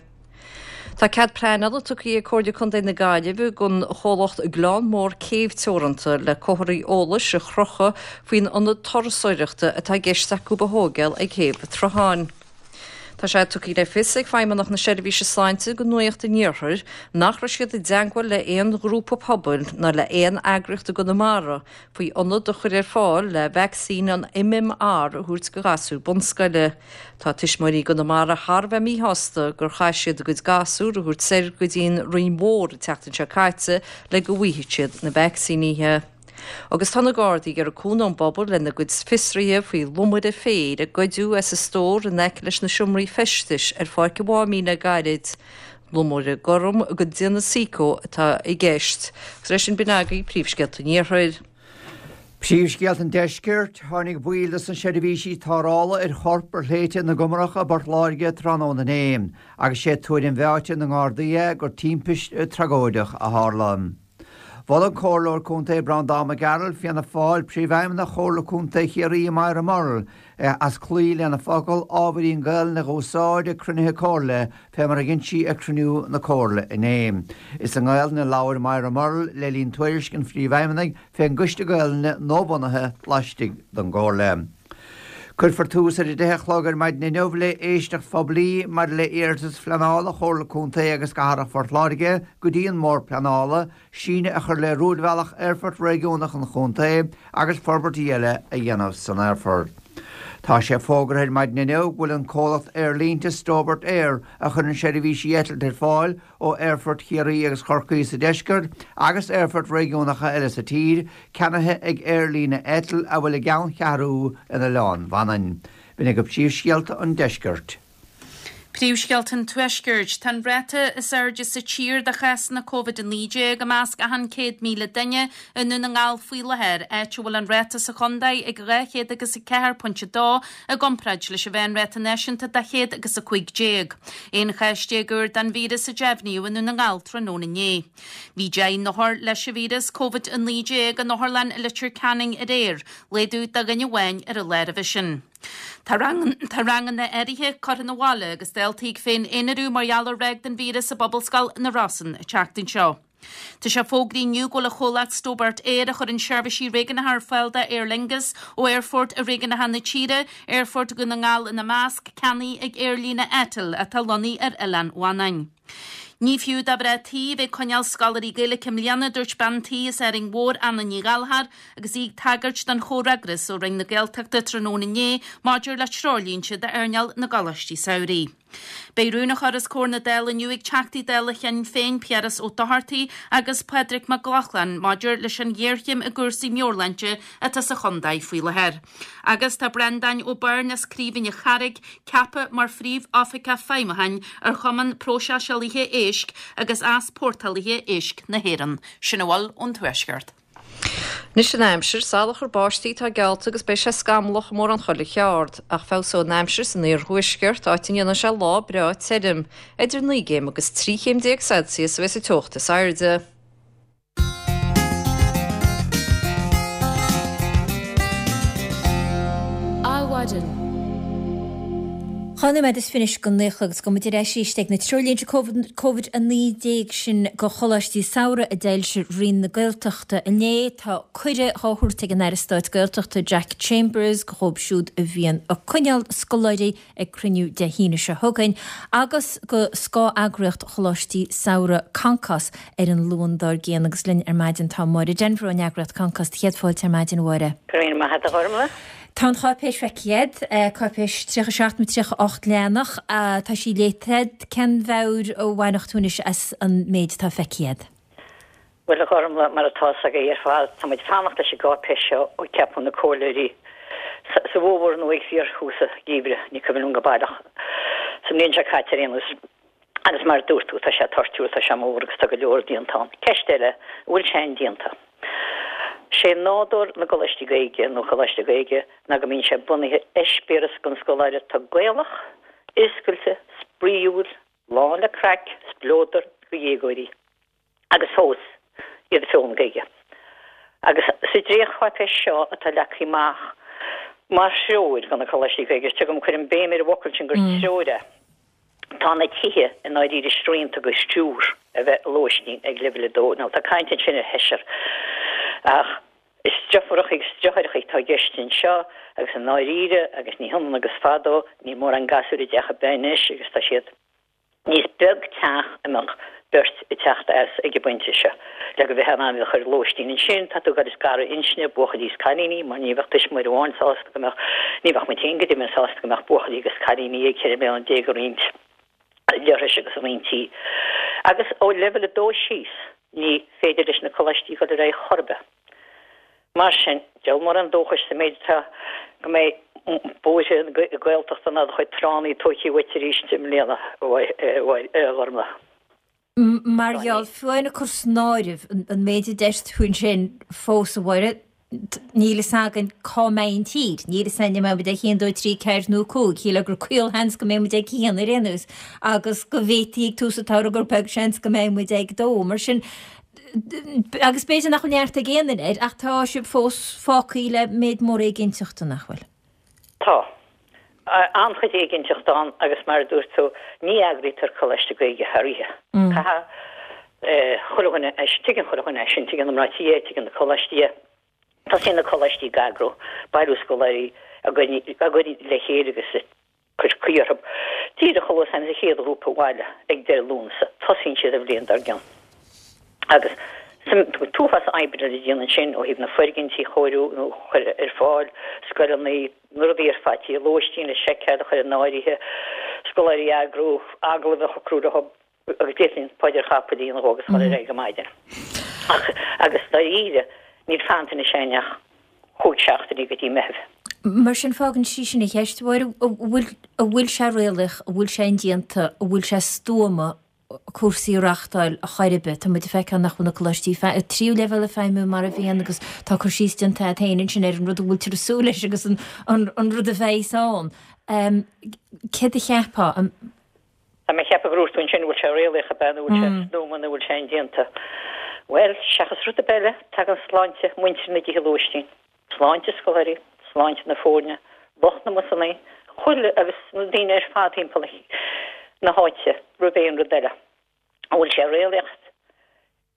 Tá cead pleanála tugtha ag Comhairle Contae na Gaillimhe don chomhlacht Gleann Mór Céibh Teoranta le comharthaí eolais a chrochadh faoin ionad turasóireachta atá i gceist acu a thógáil ag Céibh an tSrutháin. Tá sé tugtha le fios ag Feidhmeannacht na Seirbhíse Sláinte do Nuacht an Iarthair nach raibh siad i dteagmháil le haon ghrúpa pobail ná le haon eagraíocht i gConamara faoi ionad a chur ar fáil le vacsaín an M M R a thabhairt do ghasúir bunscoile. Tá tuismitheoirí i gConamara thar a bheith míshásta gur chaith siad a gcuid gasúr a thabhairt soir go dtí an Rinn Mhór an tseachtain seo caite le go bhfaighidh siad na vacsaínithe. Agus tá na Gardaí ag iarraidh cúnamh ón bpobal lena gcuid fiosruithe faoi lomaire féir a goideadh as an stór in aice leis na seomraí feistis ar Pháirc an Mháimín le gairid. Lomaire gorm de dhéanamh Seiko atá i gceist. Agus leis sin b'in agaibh príomhscéalta an Iarthair. Príomhscéalta an Deiscirt, Tháinig baill de na seirbhísí tarrthála ar chorp ar shléibhte na gComarach i bPort Láirge tráthnóna inné, agus sé tuairim mheáite na nGardaí é gur timpiste tragóideach a tharla. Mhol an Comhairleoir Contae Breandán Mac Gearailt, Fianna Fáil, Príomhfheidhmeannach Chomhairle Contae Chiarraí Moira Murrell as cloí lena focal ábhairín Gaelainne a úsáid ag cruinnithe Comhairle fé mar a dhein sí ag cruinniú na Comhairle inné. Is i nGaelainn a labhair Moira Murrell le linn tuairisc an Phríomhfheidhmeannaigh fén gCoiste Gaelainne nuabhunaithe laistigh den gComhairle. Cuirfear tús ar a deich a chlog ar maidin inniu le éisteacht phoiblí maidir le iarratas phleanála Chomhairle Contae agus Cathrach Phort Láirge go dtí an mBord Pleanála, síneadh a chur le rúidbhealach Aerfort Réigiúnach an Chontae agus forbairtí eile a dhéanamh san aerfort. Tá sé fógartha ar maidin inniu go bhfuil an comhlacht aerlínte Stobart Air a chuireann seirbhísí eitilte ar fáil ó aerfoirt Chiarraí agus Chorcaí sa deisceart agus aerfoirt réigiúnacha eile sa tír, ceannaithe ag aerlíne Eitil a bhfuil a gceanncheathrú in Oileán Mhanainn. B'in agaibh príomhscéalta an deiscirt. Príomhscéalta an Tuaiscirt. Tá an ráta is airde sa tír de chásanna Covid a naoi déag i measc achan céad míle duine i nDún na nGall faoi láthair, áit a bhfuil an ráta sa chontae ag dhá chéad agus a ceathair pointe dó i gcomparáid leis an mheánráta náisiúnta de chéad agus a cúig déag. Aon chás déag úr den víreas a deimhníodh i nDún na nGall tráthnóna inné. Bhí deich n-othar leis an víreas Covid a naoi déag in otharlann i Leitir Ceanainn aréir, laghdú de dhuine amháin ar an lá roimhe sin. Tá ranganna áirithe curtha 'na bhaile agus daltaí ag féin-aonarú mar gheall ar ráig den víreas i bPobalscoil na Rosann an tseachtain seo. Tá sé fógraithe inniu go bhfuil an chomhlacht Stobart Air a chuireann seirbhísí réigiúnacha ar fáil d'Aer Lingus ó aerfoirt réigiúnacha na tíre, Aerfort Dhún na nGall ina measc, ceannaithe ag aerlíne Eitil atá lonnaithe ar Oileán Mhanainn. Ní fiú do mhná tí a bheith ag coinneáil scoláirí Gaeilge i mbliana, dúirt bean tí as Árainn Mhór, Anna Ní Ghallchóir, agus í ag tagairt don chomhfhreagras ó Roinn na Gaeltachta tráthnóna inné maidir le treoirlínte d'earnáil na gcoláistí samhraidh. Beidh rún á chur os comhair na Dála inniu ag Teachtaí Dála Shinn Féin Piaras Ó Dochartaigh agus Pádraig Mac Lochlainn maidir leis an ghéarchéim i gcúrsaí meabhairshláinte atá sa chontae faoi láthair. Agus tá Breandán Ó Beirn as Craoibhín an Charraigh ceaptha mar Phríomh-Oifigeach Feidhmiúcháin ar Chumann Próiseálaithe Éisc agus Easpórtálaithe Éisc na hÉireann. Sin a bhfuil ón Tuaisceart. Anois an aimsir, salachar báistí atá geallta agus beidh sé scamallach i mórán chuile cheard, ach feabhsóidh an aimsir san iarthuaisceart, áit a ndéanfaidh sé lá breá tirim. Idir naoi gcéim agus trí chéim déag Celsius a bheas an teocht is airde. Adhmhaidin. Dhá nóiméad is fiche go naoi agus gabhfaidh muid ar ais arís ag na treoirlínte Covid a naoi déag sin go choláistí samhraidh a d'fhoilsigh Roinn na Gaeltachta inné. Tá cuireadh á thabhairt ag an Aire Stáit Gaeltachta Jack Chambers go dhóibh siúd a bhíonn ag coinneáil scoláirí ag cruinniú Dé hAoine seo chugainn agus go scáth-eagraíocht Choláistí Samhraidh Concos ar an Luan dár gcionn agus linn ar maidin tá Máire Denvir ón eagraíocht Concos. Céad fáilte ar maidin a Mháire. Go raibh maith agat a Ghormlaith. Tá an cháipéis feicthe agat, cáipéis tríocha seacht nó tríocha ocht leathanach, tá sí léite agat. Cén mheabhair a bhainfeadh tú anois as an méid atá feicthe agat? Bhuel, a Ghormlaith, mar atá 's agaibh ar fad, tá muid ag fanacht leis an gcáipéis seo ó ceapadh na comhairleoirí sa bhfómhar nó ag fíorthús an gheimhridh, ní cuimhin liom go baileach, sa mbliain seo caite ar aon nós. Agus mar a dúirt tú, tá sé toirtiúil, tá sé mór agus tá go leor déanta ann. Ceist eile, an bhfuil sé indéanta? Sé nádúr na gcoláistí Gaeilge nó choláiste Gaeilge ná go mbíonn sé bunaithe ar eispéireas don scoláire atá Gaelach, oscailte, spraíúil, lán le craic, spleodar do dhéagóirí agus fós iad ag foghlaim Gaeilge. Agus sa dréachtcháipéis seo atá leagtha amach mar threoir do na coláistí Gaeilge, tuigim, cuirim béim ar an bhfocal sin gur treoir é, Tá na tithe i ndáiríre srianta go triúr a bheith i lóistín ag leibhéal a dó. Now tá caint ansin ar sheisear ach is deirfiúracha agus deartháireacha atá i gceist anseo agus i ndáiríre agus ní hionann agus fadó, níl mórán gasúir i dteach ar bith anois agus tá siad Ní beag teach a mbeadh beirt ag teacht as ag an bpointe seo. Le go mbeifeá in ann iad a chur i lóistín ansin, tá tú ag goil ag scaradh inscne, buachaillí is cailíní, mar ní bheadh tuismitheoir amháin sásta go mbeadh, ní bheadh muid féin go deimhin sásta go mbeadh buachaillí agus cailíní ag ceithre bliana déag ag roinnt leithris agus ag roinnt tí. Agus ó leibhéal a dó síos, ní féidir leis na coláistí dul ar aghaidh chor ar bith. Mar sin, deabhal mórán dóchais sa méid atá go mbeidh bóithre na Gaeltachta ná do chuid tránna tógtha uait arís i mbliana, a Ghormlaith. Mar gheall, fiú amháin ag cur san áireamh an méid a deir tú ansin fós, a Mháire, níl fhios againn cá mbeidh an tír, níl fhios againn an mbeidh muid ag haon, dó, trí, ceathair nó cúig, shílfeá gur caolsheans go mbeidh muid ag haon ar aon nós agus go bhféadfaí ag tús an tsamhraidh gur beag seans go mbeidh muid ag dó. Mar sin, Agus b'fhéidir nach bhfuil neart ag aon duine air, ach tá sibh fós fágtha le méid mór éiginnteachta, nach bhfuil? Tá. An-chuid éiginnteachta ann agus mar a dúirt tú, ní eagraítear Coláiste Gaeilge thar oíche. Caithfidh chuile dhuine é, tuigeann chuile dhuine é sin, tuigeann na mná tí é, tuigeann na coláistí é. Tosaíonn na coláistí ag eagrú, bailiú scoláirí, á gcur le chéile agus cur caoi orthu. Díreach chomh luath is a thagann an chéad ghrúpa abhaile ag deireadh Lúnasa, tosaíonn siad an bhliain dár gcionn. Agus an t-uafás oibre le déanamh ansin ó thaobh na foirgintí a chóiriú nó a chur ar fáil, scoileanna, na rudaí ar fad, tithe lóistín a sheiceáil, a chur in áirithe, scoláirí a eagrú, agallaimh a shocrú leo, agus d'fhéadfainn paidir chapaill a dhéanamh agus dhul ar aghaidh go maidin. Ach, agus dáiríre, níl fanta anois againn ach chúig seachtainí go dtí Meitheamh. Mar sin, fágann sí sin an cheist, a Mháire, an bhfuil, an bhfuil sé réalaíoch, an bhfuil sé indéanta, an bhfuil sé stuama cúrsaí a reachtáil ar chor ar bith? Tá muid ag feiceáil nach bhfuil na coláistí tríú leibhéal ag feidhmiú mar a bhíonn agus tá cur síos déanta agat féin ansin ar an rud a bhfuiltear ag súil leis agus an, an, an rud a bheidhs ann. Céard a cheapfá? Tá mé ag ceapadh gur dhúirt tú ansin an bhfuil sé réalaíoch ab ea nó an bhfuil sé stuama nó an bhfuil sé indéanta. Bhuel, seachas rud ar bith eile, tagann sláinte muintir na dtithe lóistín, sláinte scoláirí, sláinte na foirne, lucht na mbusannaí, chuile agus na daoine ar fad timpeall na háite roimh aon rud eile. An bhfuil sé réalaíoch?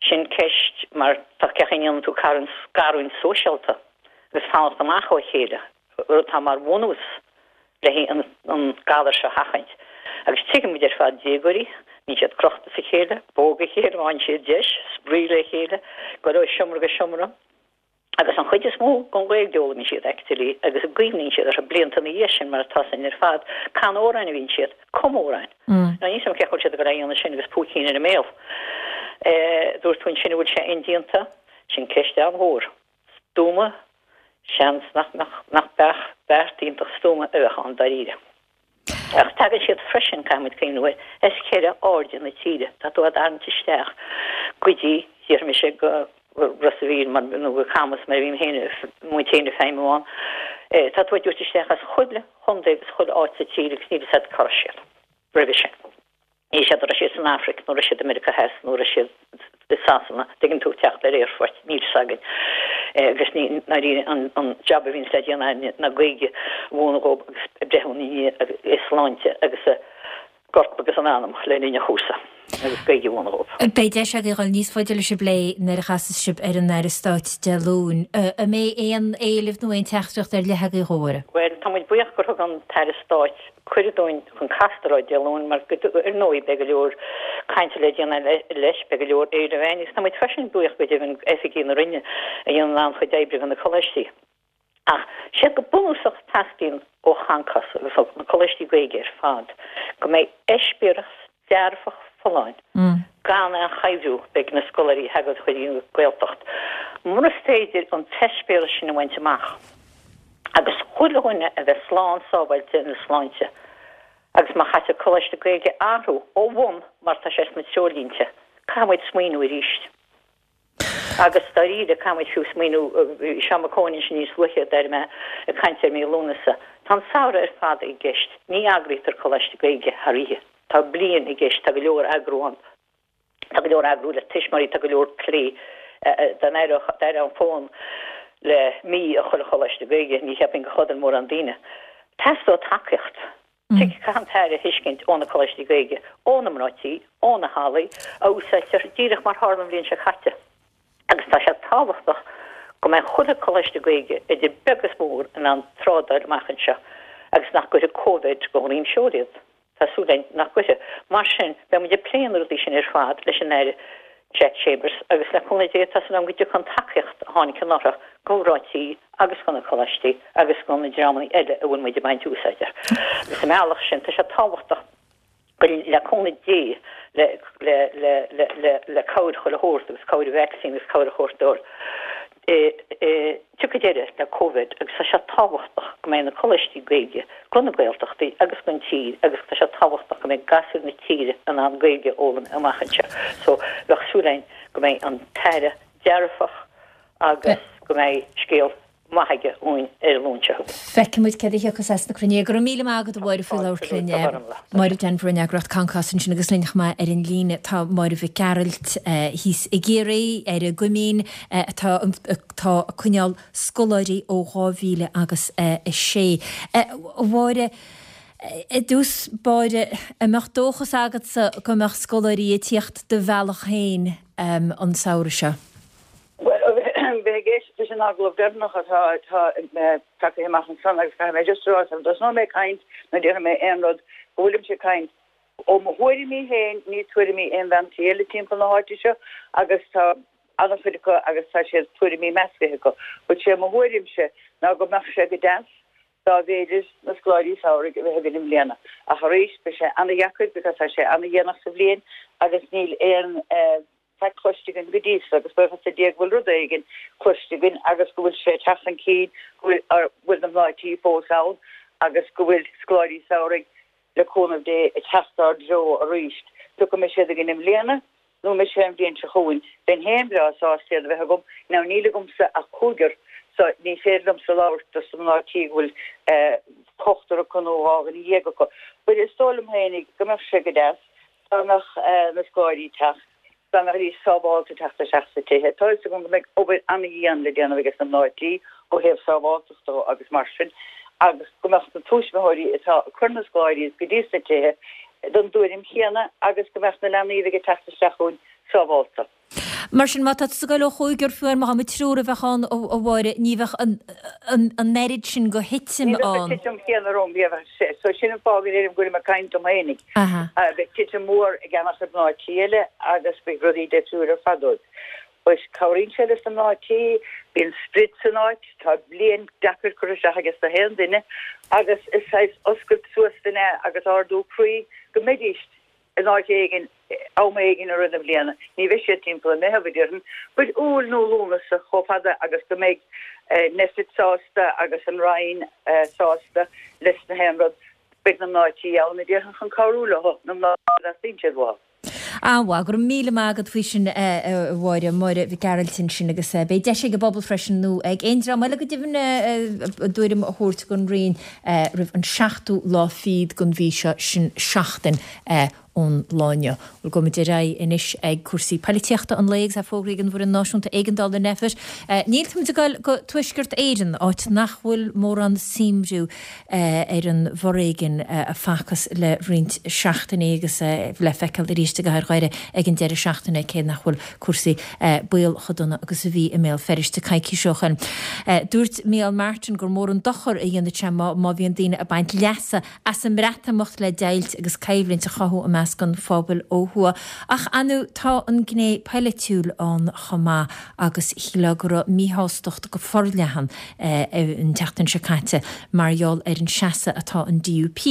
Sin ceist mar tá cén chaoi a ndéanann tú scarúint sóisialta agus fanacht amach ó chéile, rud atá mar bhunús le an galar seo a sheachaint. Agus tuigeann muid ar fad déagóirí, bíonn siad crochta as a chéile, póg a chéile, má fhaigheann siad deis, spraoi le chéile, goil ó sheomra go seomra. Agus an chuid is mó den Ghaeilge a d'fhoghlaimíonn siad actually agus a gcuimhníonn siad orthu blianta ina dhiaidh sin mar atá 'fhios againn ar fad, canadh amhráin a bhíonn siad, cumadh amhráin. Now níl 'fhios agam cén chaoi a bhfuil siad ag goil a dhéanamh sin agus púicín ar a mbéal. Dúirt tú ansin an bhfuil sé indéanta? Sin ceist an-mhór. Stuama? Seans nach mbeadh, nach beadh, beart iontach stuama a bheadh ann dáiríre. Ach tagann siad freisin, caithfidh muid cuimhniú air, as ceithre airde na tíre. Tá tú á dtarraingt isteach go dtí, déarfaidh mise, go Ros a' Mhíl mar, nó go Camas mar a bhím féin, muid féin ag feidhmiú ann. Tá tú á dtabhairt isteach as chuile chontae agus chuile áit sa tír agus níl fhios agat cá raibh siad roimhe sin. Níl 'fhios agat an raibh siad san Afraic nó raibh siad i Meiriceá Theas nó raibh siad i Sasana, tuigeann tú, teacht ar aerfoirt, níl 'fhios againn. Agus ní ndáiríre an jab a bhíonns le déanamh againne ná Gaeilge a mhúineadh dhóibh agus ag breathnú ina ndiaidh a sláinte agus a gcorp agus a n-anam le linn an chúrsa agus Gaeilge a mhúineadh dhóibh. Beidh deis agaibh dhul níos faide leis an bplé nuair a chasas sibh ar an Aire Stáit Dé Luain. An mbeidh aon éileamh nó aon teachtaireacht ar leith agaibh dhó, a Mháire? Bhuel, tá muid buíoch gur thug an tAire Stáit cuireadh dúinn chun castar air Dé Luain mar ar ndóigh beidh go leor cainte le déanamh leis, beidh go leor éileamh againn agus tá muid freisin buíoch go deimhin d'oifigigh na Roinne a dhéanann an-chuid oibre do na coláistí. Ach séard go bunúsach teastaíonn ó Choncás agus ó na coláistí Gaeilge ar fad go mbeidh eispéireas dearfach folláin gan aon chuibhriú ag na scoláirí a thagann chuig an Ghaeltacht. Mura féidir an t-eispéireas sin a bhaint amach agus chuile dhuine a bheith slán sábháilte ina sláinte agus má chaitear Coláiste Gaeilge a athrú ó bhun mar tá sé sna treoirlínte, caithfidh muid smaoineamh arís. Agus dáiríre, caithfidh muid fiú smaoineamh, bhí Seán Mac Eoin ansin níos luaithe, d'airigh mé, ag caint ar mí Lúnasa. Tá an samhradh ar fad i gceist. Ní eagraítear Coláiste Gaeilge thar oíche. Tá bliain i gceist, tá go leor eagrú ann. Tá go leor eagrú le tuismitheoirí, tá go leor plé. Dá n-éireodh an fón le mí i chuile Choláiste Gaeilge, ní cheapfainn go chodail mórán daoine. Teastóidh tacaíocht. Caithfidh an tAire a thuiscint ó na Coláistí Gaeilge, ó na mná tí, ó na hallaí a úsáidtear, díreach mar tharla an bhliain seo caite. Agus tá sé tábhachtach go mbeidh chuile Choláiste Gaeilge, idir beag is mór, in ann trádáil amach anseo agus nach gcuirfidh Covid go dhroim seoil iad. Tá súil againn nach gcuirfidh. Mar sin, beidh muid ag plé na rudaí sin ar fad leis an Aire Jack Chambers agus le cúnamh Dé tá súil agam go dtiocfaidh an tacaíocht a tháinig anuraidh go mná tí agus go na coláistí agus go na dreamanna eile a bhfuil muid ag baint úsáid as. Agus sa mbealach sin tá sé tábhachtach go le cúnamh Dé le le le le le le cabhair chuile shórt agus cabhair vacsaín agus cabhair a thabhairt dóibh tiocfaidh deireadh le Covid agus tá sé tábhachtach go mbeidh na coláistí Gaeilge go na Gaeltachtaí agus don tír agus tá sé tábhachtach go mbeidh gasúir na tíre in ann Gaeilge a fhoghlaim amach anseo. So bheadh súil againn go mbeidh an tAire dearfach agus go mbeidh scéal maith aige dhúinn ar an Luan seo chugainn. Feicfidh muid céard a thiocfas as na cruinnithe. Go raibh míle maith agat a Mháire faoi labhairt linn. Máire Denvir ón eagraíocht Concos ansin agus linn chomh maith ar an líne tá Máire Mhic Gearailt thíos i gCiarraí ar an gCoimín atá atá ag coinneáil scoláirí ó dhá mhíle agus a sé. A Mháire, i dtús báire, an mbeadh dóchas agatsa go mbeadh scoláirí ag tíocht do bhealach féin an samhradh seo? Bhuel, bheith ag éisteacht leis an agallamh deireanach atá tagtha amach ansan agus caithfidh mé just a rá sula dtosnóidh mé ag caint nó déarfaidh mé aon rud go bhfuilimse ag caint ó mo thuairimí féin, ní tuairimí aon bhean tí eile timpeall na háite seo agus tá an-chuid acu agus tá siad tuairimí meascaithe acu. But sé mo thuairimse ná go mbeadh sé go deas dá mb'fhéidir na scoláirí samhraidh a bheith againn i mbliana. Ach arís beidh sé an-dheacair because tá sé an-dhéanach sa bhliain agus níl aon faic cloiste againn go dtí so agus buíochas le Dia go bhfuil rud éigin cloiste againn agus go bhfuil sé ag teacht chun cinn, go bhfuil na mná tí fós ann agus go bhfuil scoláirí samhraidh, le cúnamh Dé, ag teacht ár dtreo arís. Pé acu an mbeidh siad againn i mbliana nó an mbeidh sé an bhliain seo chugainn, bheinn féin breá sásta iad a bheith agam. Now níl agamsa ach cúigear so ní féidir liomsa labhairt dos na mná tí go bhfuil ochtar acu nó dhá dhuine dhéag acu. But is dóigh liom féinig go mbeadh sé go deas dá mbeadh na scoláirí ag teacht, dá mbeidís sábháilte teacht isteach sna tithe. Tá fhios agam go mbeidh obair an-dhian le déanamh ages na mná tí ó thaobh sábháilteachta dó agus mar sin agus go mbeadh na tuismitheoirí atá ag cur na scoláirí go dtí sna tithe den dtuairim chéanna agus go mbeadh na leanaí a bheidh ag teacht isteach chugainn sábháilte. Mar sin, má tá tusa ag goil ó chúigear fiú amháin má tá triúr a bheadh ann, a Mháire, ní bheadh an oiread sin go thitim Ní bheadh an ann. titim chéanna romham, ní bheadh sé. So sin an fáth go ndeirim go bhfuilim ag caint dom fhéinig. Beidh titim mhór ag an-chuid mná tí eile agus beidh rudaí difriúil ar fad dóibh. But cabhraíonn sé leis na mná tí, bíonn sprid san áit, tá bliain deacair curtha isteach ages na haon duine agus is saghas oscailt suas duine agus ardú croí go mbeidís in áit éigin am éigin i rith na bliana. Ní bheidh siad timpeall i Meitheamh, a déarfainn, but Iúil nó Lúnasa, chomh fada agus go mbeidh Nphet sásta agus an Roinn sásta leis na haon rud, beidh na mná tí ann, a déarfainn, chun cabhrú leo, na mná a dteastaíonn siad uathu. An-mhaith, go raibh míle maith agat faoi sin, a Mháire, Máire Mhic Gearailt ansin agus beidh deis ag an bpobal freisin nó ag aon dream eile go deimhin a dtuairim a thabhairt don Roinn roimh an seachtú lá fichead den mhí seo, sin seachtain ón lá inniu. Bhuel, gabhfaimid ar aghaidh anois ag cúrsaí poilitíochta an lae agus é fógraithe ag an bhFoireann Náisiúnta Éigeandála Nphet. Níl, táimid ag dul go Tuaisceart Éireann, áit nach bhfuil mórán suaimhriú ar an bhforéigean a facthas le roinnt seachtainí agus le feiceáil arís i gcathair Dhoire ag an deireadh seachtaine, cé nach bhfuil cúrsaí baol chomh dona agus a bhí i mBéal Feirste coicís ó shin. Dúirt Micheál Martin gur mór an dochar a dhéanfadh sé má bhíonn daoine ag baint leasa as an mBreatimeacht le deighilt agus coimhlint a chothú i measc an phobail ó thuaidh. Ach ar ndóigh tá an gné polaitiúil ann chomh maith agus shílfeá go raibh míshástacht go forleathan an tseachtain seo caite mar gheall ar an seasamh atá an DUP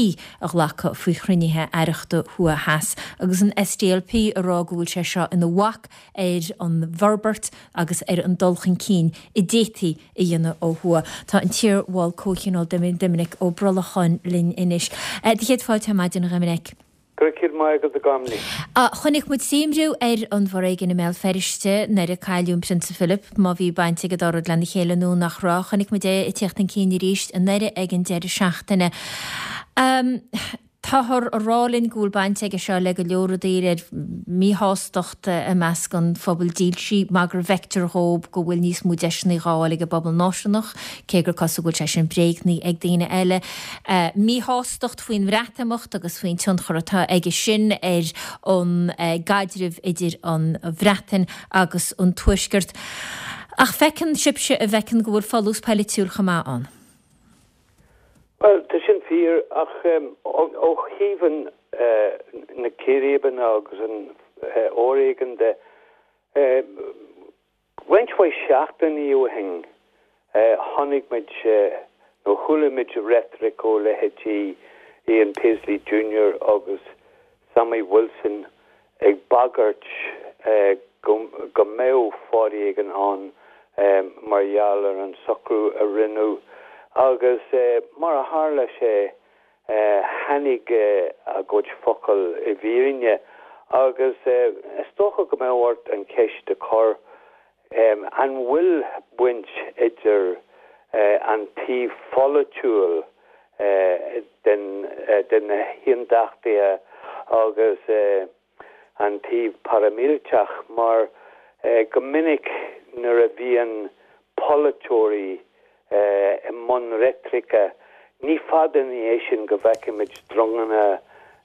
a ghlacadh faoi chruinnithe aireachta thuaidh theas agus an SDLP a rá go bhfuil sé seo ina bhac ar an bhforbairt agus ar an dul chun cinn a d'fhéadfaí a dhéanamh ó thuaidh. Tá an t-iarbhall Comhthionóil Doiminic Ó Brolcháin linn anois. Do chéad fáilte ar maidin, a Dhoiminic. Go raibh céad maith agat, a Ghormlaith. Chonaic muid suaimhriú ar an bhforéigean i mBéal Feirste nuair a cailleadh an Prionsa Philip, má bhí baint ag an dá rud lena chéile nó nach raibh. Chonaic muid é ag tíocht chun cinn arís i nDoire ag an deireadh seachtaine. Táthar a rá linn go bhfuil baint aige seo le go leor rudaí, le míshástacht i measc an phobail dílsigh mar go bhfeictear dhóibh go bhfuil níos mó deiseanna dhá fháil ag an bpobal náisiúnach, cé gur cosúil go bhfuil sé sin bréagnaithe ag daoine eile. Míshástacht faoin mBreatimeacht agus faoin tionchar atá aige sin ar an gcaidreamh idir an Bhreatain agus an Tuaisceart. Ach feiceann sibhse a bhfeiceann go bhfuil folús polaitiúil chomh maith ann. Bhuel, tá sin fíor, ach ó thaobh na círéibeanna agus an fhoréigin de, roinnt mhaith seachtainí ó shin, chonaic muid, nó chuala muid reitric ó leithéidí Ian Paisley Junior agus Sammy Wilson ag bagairt go mbeadh foréigean ann mar gheall ar an socrú a rinneadh agus mar a tharla sé tháinig a gcuid focal i bhfírinne agus is dócha go mbeadh ort an cheist a chur an bhfuil baint idir an taobh pholaitiúil de na hAontachtaithe agus an taobh paraimíleatach mar go minic nuair a bhíonn polaiteoirí i mbun reitrice, ní fada ina dhiaidh sin go bhfeicimid dronganna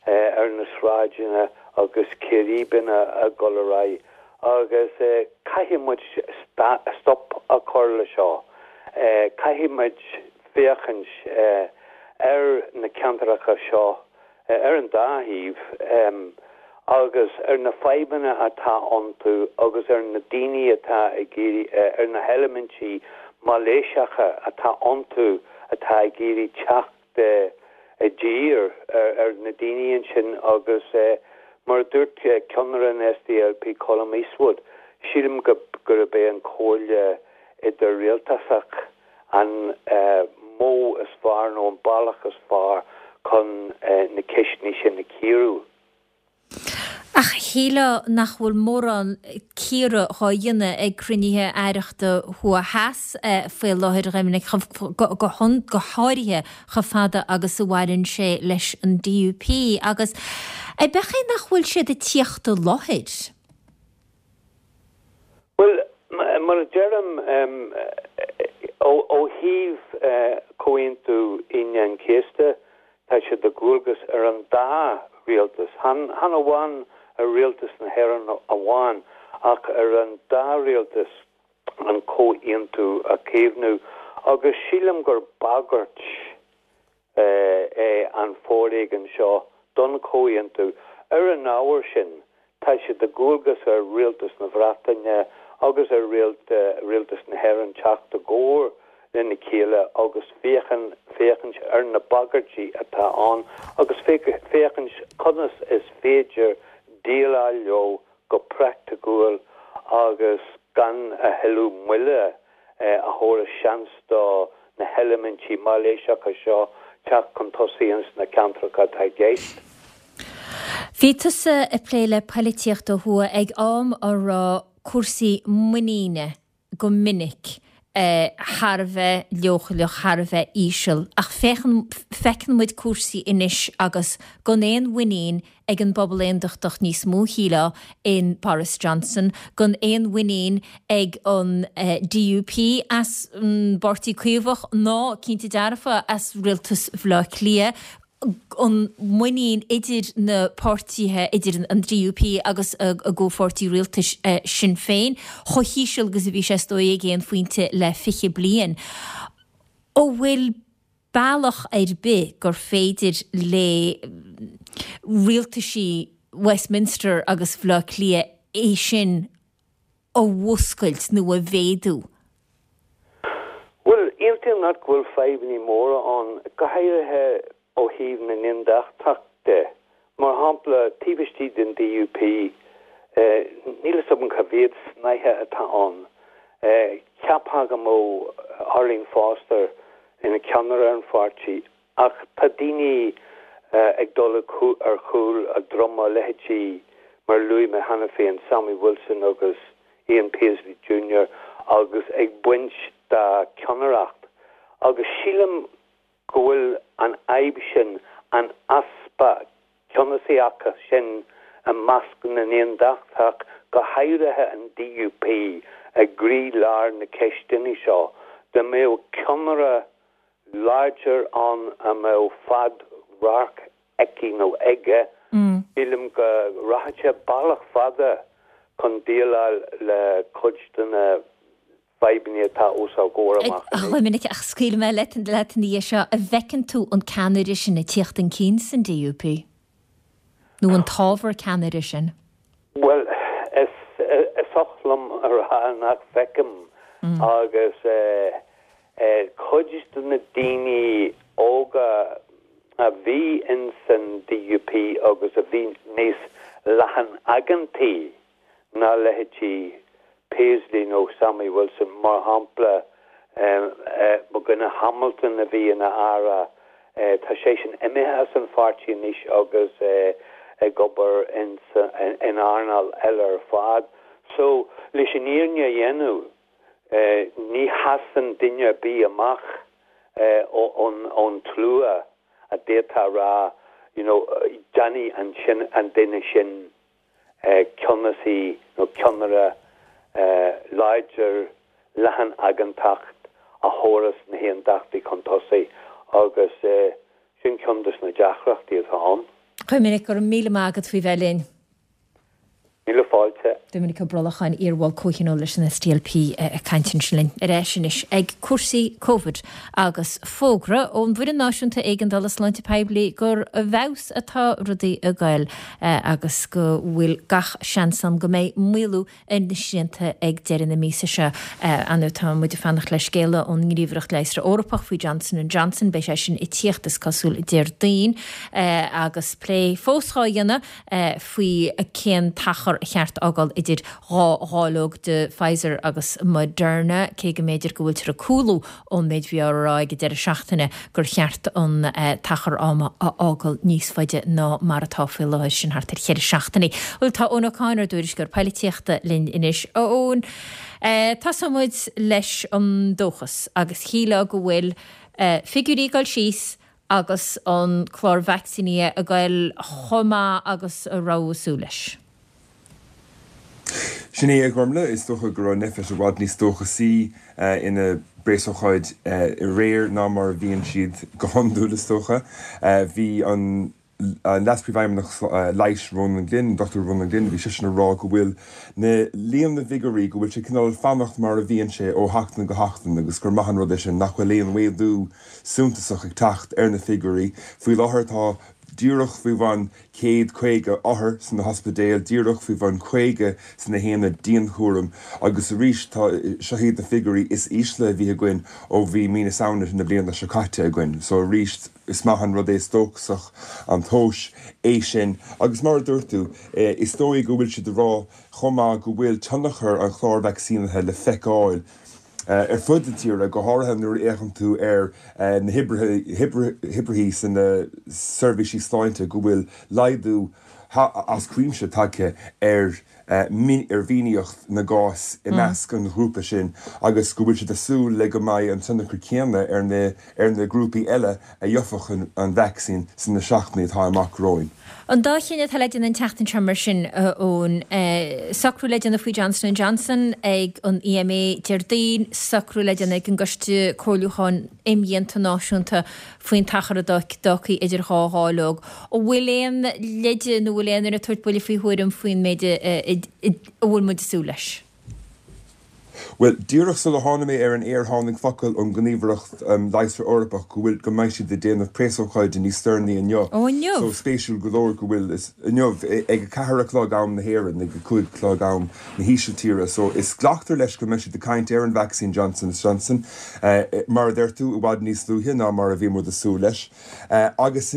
ar na sráideanna agus círéibeanna ag dul ar aghaidh agus caithfidh muid stop a chur le seo. Caithfidh muid féachaint ar na ceantracha seo ar an dá thaobh agus ar na fadhbanna atá iontu agus ar na daoine atá ag iarraidh, ar na heilimintí mailíseacha atá iontu atá ag iarraidh teacht i dtír ar na daoine ansin agus mar a dúirt ceannaire an SDLP Colum Eastwood, sílim gurb é an chomhairle idir-rialtasach an modh is fearr nó an bealach is fearr chun na ceisteanna sin a chíoradh. Ach shílfeá nach bhfuil mórán cíoradh dhá dhéanamh ag cruinnithe aireachta thuaidh theas faoi láthair, a Dhoiminic, go háirithe chomh fada agus a bhaineann sé leis an DUP. Agus ab é nach bhfuil siad ag tíocht i láthair? Bhuel, mar a deirim, ó thaobh Chomhaontú Aoine an Chéasta, tá sé de dhualgas ar an dá rialtas, chan amháin ar rialtas na hÉireann amháin, ach ar an dá rialtas an comhaontú a chaomhnú agus sílim gur bagairt é an foréigean seo don chomhaontú. Ar an ábhar sin, tá sé de dhualgas ar Rialtas na Breataine agus ar Rialtas na hÉireann teacht i gcomhar lena chéile agus féachaint ar na bagairtí atá ann agus féachaint conas is féidir déileáil leo go praiticiúil agus gan a thuilleadh moille a thabharfas seans do na heilimintí mailíseacha seo teacht chun tosaigh ins na ceantracha atá i gceist. Bhí tusa ag plé le poilitíocht ó thuaidh ag am a raibh cúrsaí muiníne go minic thar a bheith leochaileach, thar a bheith íseal, ach féachann, feiceann muid cúrsaí anois agus gan aon mhuinín ag an bpobal aondachtach níos mó, shílfeá, in Boris Johnson, gan aon mhuinín ag an DUP as an bPáirtí Caomhach ná, cinnte dearfa, as rialtas Bhaile Átha Cliath. an muinín idir na páirtithe, idir an DUP agus a gcomhpháirtí rialtais Sinn Féin, chomh híseal agus a bhí sé is dóigh ag aon phointe le fiche bliain. An bhfuil bealach ar bith gur féidir le rialtaisí Westminster agus Bhaile Átha Cliath é sin a mhúscailt nó a mhéadú? Bhuel, aontaím leat go bhfuil fadhbanna móra ann, go háirithe ó thaobh na n-aondachtach de. Mar shampla, taobh istigh den DUP, níl a fhios agam cá mhéad snáithe atá ann. Cheapfá go mbeadh Arlene Foster ina ceannaire ar an pháirtí, ach tá daoine ag dul ar chúl a droma, leithéidí, mar a luaigh mé cheana féin, Sammy Wilson agus Ian Paisley Junior agus ag baint dá ceannaireacht. Agus sílim go bhfuil an fhadhb sin, an easpa ceannasaíochta sin i measc na n-aondachtach, go háirithe an DUP, i gcroílár na ceisteanna seo. Dá mbeadh ceannaire láidir ann a mbeadh fad-radharc aici nó aige, sílim go rachadh sé bealach fada chun déileáil le cuid de na fadhbanna atá os ár gcomhair amach anois. A Dhoiminic, ach scaoilfidh mé leat ina dhiaidh seo, an bhfeiceann tú an ceannaire sin ag tíocht chun cinn san DUP? Nó an t-ábhar ceannaire sin? Bhuel, is oth liom a rá nach bhfeicim agus cuid de na daoine óga a bhí ins an DUP agus a bhí níos leathan-aigeantaí ná leithéidí Paisley nó Sammy Wilson, mar shampla, mo dhuine Hamilton a bhí ina aire, tá seisean imithe as an pháirtí anois agus ag obair in earnáil eile ar fad. So, leis an fhírinne a dhéanamh, ní sheasann duine ar bith amach ón tslua a d'fhéadfá a rá, you know, déanfaidh an duine sin ceannasaí nó ceannaire láidir leathan-aigeantach a thabharfas na hAondachtaigh chun tosaigh agus sin ceann de na deacrachtaí atá ann. A Dhoiminic, go raibh míle maith agat faoi bheith linn. Míle fáilte. Doiminic Ó Brolacháin, iarbhall comhthionóil leis an SDLP ag caint ansin linn. Ar ais anois ag cúrsaí Covid agus fógra ón bhFoireann Náisiúnta Éigeandála Sláinte Poiblí gur i bhfeabhas atá rudaí ag goil agus go bhfuil gach seans ann go mbeidh maolú ar na srianta ag deireadh na míosa seo. Ar ndóigh tá muid ag fanacht le scéala ón nGníomhaireacht Leigheasra Eorpach faoi Johnson and Johnson. Beidh sé sin ag tíocht is cosúil Déardaoin agus plé fós á dhéanamh faoi cén t-achar a cheart a fhágáil idir dhá dháileog de Pfizer agus Moderna, cé go mb'fhéidir go bhfuiltear ag cúlú ón méid a bhí á rá ag an deireadh seachtaine gur cheart an t-achar ama a fhágáil níos faide ná mar atá faoi láthair, sin thart ar cheithre seachtainí. Bhuel, tá Eoin Ó Cadhain, ár dtuairisceoir poilitíochta, linn anois. A Eoin, tosóidh muid leis an dóchas agus shílfeá go bhfuil figiúirí ag dul síos agus an clár vacsaínithe ag goil chomh maith agus a raibh súil leis. Sin é, a Ghormlaith, is dócha go raibh Nphet i bhfad níos dóchasaí ina bpreasócáid aréir ná mar a bhíonn siad go hiondúil, is dócha. Bhí an Leas-Phríomhfheidhmeannach Leighis Ronan Glynn, an Dochtúir Ronan Glynn, bhí seisean ag rá go bhfuil na líon na bhfigiúirí, go bhfuil sé cineál ag fanacht mar a bhíonn sé ó sheachtain go seachtain agus gur maith an rud é sin nach bhfuil aon mhéadú suntasach ag teacht ar na figiúirí. Faoi láthair tá díreach faoi bhun céad caoga othar sna hospidéil, díreach faoi bhun caoga sna haonaid dianchúraim agus arís tá, seo iad na figiúirí is ísle a bhí againn ó bhí mí na Samhna na bliana seo caite againn. So arís is maith an rud é, is dóchasach an tomhas é sin agus mar a dúirt tú, is dóigh go bhfuil siad ag rá chomh maith go bhfuil tionchar an chláir vacsaínithe le feiceáil ar fud na tíre, go háirithe nuair a fhéachann tú ar na hoibrithe sna seirbhísí sláinte, go bhfuil laghdú as cuimse tagtha ar ar mhinicíocht na gcás i measc an ghrúpa sin agus go bhfuil siad ag súil le go mbeidh an tionchar céanna ar na ar na grúpaí eile a gheobhadh an vacsaín sna seachtainí atá amach romhainn. An dá chinneadh atá le déanamh an tseachtain seo mar sin, Eoin, socrú le déanamh faoi Johnson and Johnson ag an EMA Déardaoin, socrú le déanamh ag an gCoiste Comhairliúcháin Imdhíonta Náisiúnta faoin t-achar atá tagtha idir dhá dháileog. An bhfuil aon leide nó bhfuil aon duine ag tabhairt buille faoi thuairim faoin méid a bhfuil muid ag súil leis? Bhuel, díreach sula tháinig mé ar an aer tháinig focal ón nGníomhaireacht Leigheasra Eorpach go bhfuil, go mbeidh siad ag déanamh preasócáide níos deireanaí inniu. Ó, inniu? So, spéisiúil go leor go bhfuil, inniu, ag a ceathair a chlog am na hÉireann, ag a cúig a chlog am na hÍsiltíre. So, is glactar leis go mbeidh siad ag caint ar an vacsaín Johnson is Johnson, mar a deir tú, i bhfad níos luaithe ná mar a bhí muid ag súil leis. Agus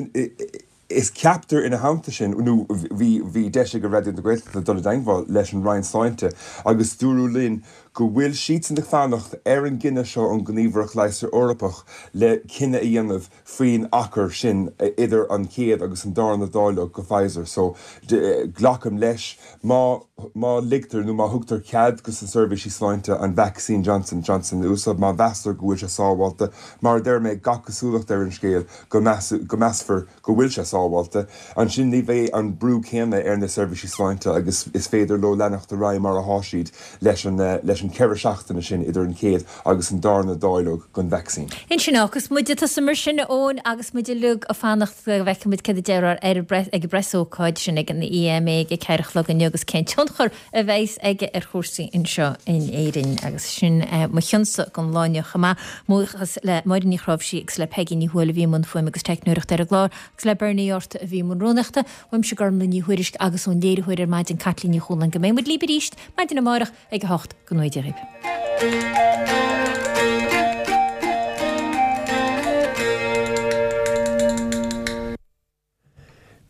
is ceaptar ina theannta sin, nó bhí, bhí deis ag Raidió na Gaeltachta dul i dteagmháil leis an Roinn Sláinte agus dúradh linn go bhfuil siadsan ag fanacht ar an gcinneadh seo ón nGníomhaireacht Leigheasra Eorpach le cinneadh a dhéanamh faoin achar sin idir an chéad agus an darna dáileog go Pfizer. So, glacaim leis, má, má ligtear nó má thugtar cead go sna seirbhísí sláinte an vacsaín Johnson Johnson a úsáid, má mheastar go bhfuil sé sábháilte, mar a deir mé, gach cosúlacht ar an scéal go go measfar go bhfuil sé sábháilte, ansin ní bheidh an brú céanna ar na seirbhísí sláinte agus is féidir leo leanacht ar aghaidh mar atá siad leis an leis an ceithre seachtaine sin idir an chéad agus an darna dáileog den vacsaín. Ansin agus muid ag tosú mar sin, a Eoin, agus muid uilig ag fanacht go bhfeicfidh muid céard a déarfar ar ag an bpreasócáid sin ag an EMA ag a ceathair a chlog inniu agus cén tionchar a bheas aige ar chúrsaí anseo in Éirinn. Agus sin mo chionsa don lá inniu chomh maith. Buíochas le Máire Ní Chráimhsí agus le Peigí Ní Thuathail a bhí i mbun fuaime agus teicneoireachta ar an gclár agus le Bernie Orta a bhí i mbun rúnaíochta. Uaimse Gormlaith Ní Thuairisg agus ón léiritheoir ar maidin Caitlín Ní Chualáin go mbeidh muid libh arís maidin amárach ag a hocht go ngnóthaí Dia dhaoibh.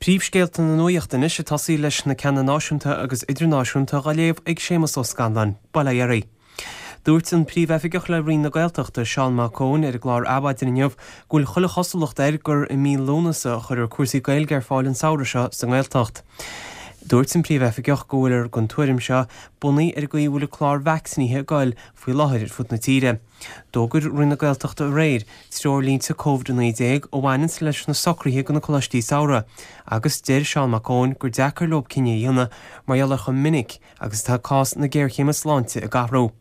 Príomhscéalta na nuachta anois ag tosaí leis na ceanna náisiúnta agus idirnáisiúnta á léamh ag Séamus Ó Scanláin. Bail ó Dhia oraibh. Dúirt an Príomhoifigeach le Roinn na Gaeltachta, Seán Mac Eoin, ar an gclár Adhmhaidin inniu go bhfuil chuile chosúlacht air gur i mí Lúnasa a chuirfear cúrsaí Gaeilge ar fáil an samhradh seo sa nGaeltacht. Dúirt an Príomhoifigeach go bhfuiltear den tuairim seo bunaithe ar an gcaoi a bhfuil an clár vacsaínithe ag goil faoi láthair ar fud na tíre. D'fhógair Roinn na Gaeltachta aréir treoirlínte Covid a naoi déag a bhaineanns leis na socruithe do na coláistí samhraidh agus deir Seán Mac Eoin gur deacair leo cinneadh a dhéanamh mar gheall ar chomh minic agus atá cás na géarchéime sláinte ag athrú.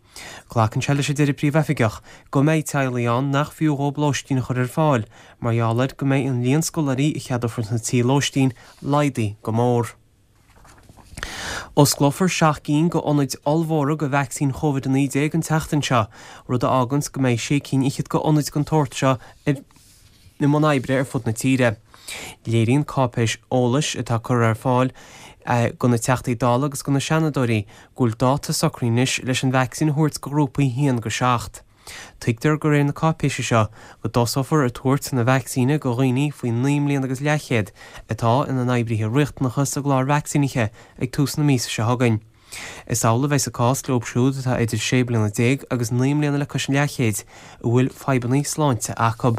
Glacann sé leis a deir an Príomhoifigeach go mbeidh teaghlaigh ann nach fiú dhóibh lóistín a chur ar fáil mar gheall air go mbeidh an líon scoláirí a cheadófar sna tithe lóistín laghdaithe go mór. Osclófar seacht gcinn de ionaid ollmhóra do vacsaín Covid a naoi déag an tseachtain seo, rud a fháganns go mbeidh sé cinn fhichead de ionaid den tsórt seo i mbun oibre ar fud na tíre. Léiríonn cáipéis eolais atá curtha ar fáil do na Teachtaí Dála agus do na Seanadóirí go bhfuil dáta socraithe anois leis an vacsaín a thabhairt do ghrúpaí a haon go seacht. Tuigtear de réir na cáipéise seo go dtosófar ag tabhairt na vacsaíne do dhaoine faoi naoi mbliana agus leathchéad atá ina n-oibrithe riachtanacha sa gclár vacsaínithe ag tús na míosa seo chugainn. Is amhlaidh a bheas an cás leo siúd atá idir sé bliana déag agus naoi mbliana le cois an leathchéid a bhfuil fadhbanna sláinte acu.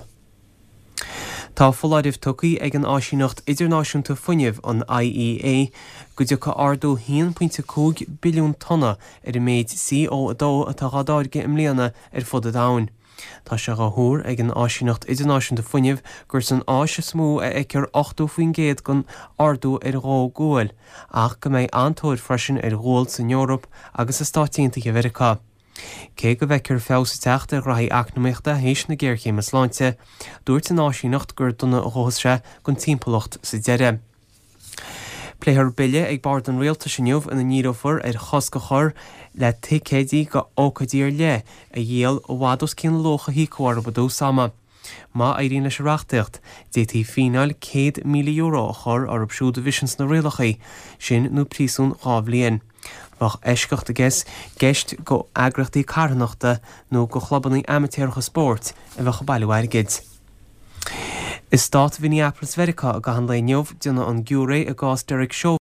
Tá foláireamh tugtha ag an Áisíneacht Idirnáisiúnta Fuinnimh, an I E A, go dtiocfaidh ardú haon pointe cúig billiún tonna ar an méid C O a dó atá dhá dtáirgeadh i mbliana ar fud an domhain. Tá sé dhá thuar ag an Áisíneacht Idirnáisiúnta Fuinnimh gur san Áis is mó a fheictear ochtó faoin gcéad den ardú ar dhó guail, ach go mbeidh an-tóir freisin ar ghual san Eoraip agus i Stáit Aontaithe Mheiriceá. Cé go bhfeictear feabhas ag teacht ar ghraithí eacnamaíochta théis na géarchéime sláinte, dúirt an áisíneacht gur dona a ghabhfas sé don timpeallacht sa deireadh. Pléifear bille ag bord an rialtais inniu ina ndíreofar ar chosc a chur le ticéidí go ócáidí ar leith a dhíol i bhfad os cionn an luach a híocadh orthu i dtús ama. Má éiríonn leis an reachtaíocht, d'fhéadfaí fíneáil céad míle euro a chur orthu siúd a bhriseanns na rialacha sin nó príosún dhá bhliain. Bheadh eisceacht i gceist go eagraíochtaí carthanachta nó go chlubanna amaitéaracha spóirt a bheadh ag bailiú airgid. I stát Mhinneapolis Mheiriceá i gcaitheamh an lae inniu, déanadh an giúiré i gcás Derek Chauvin,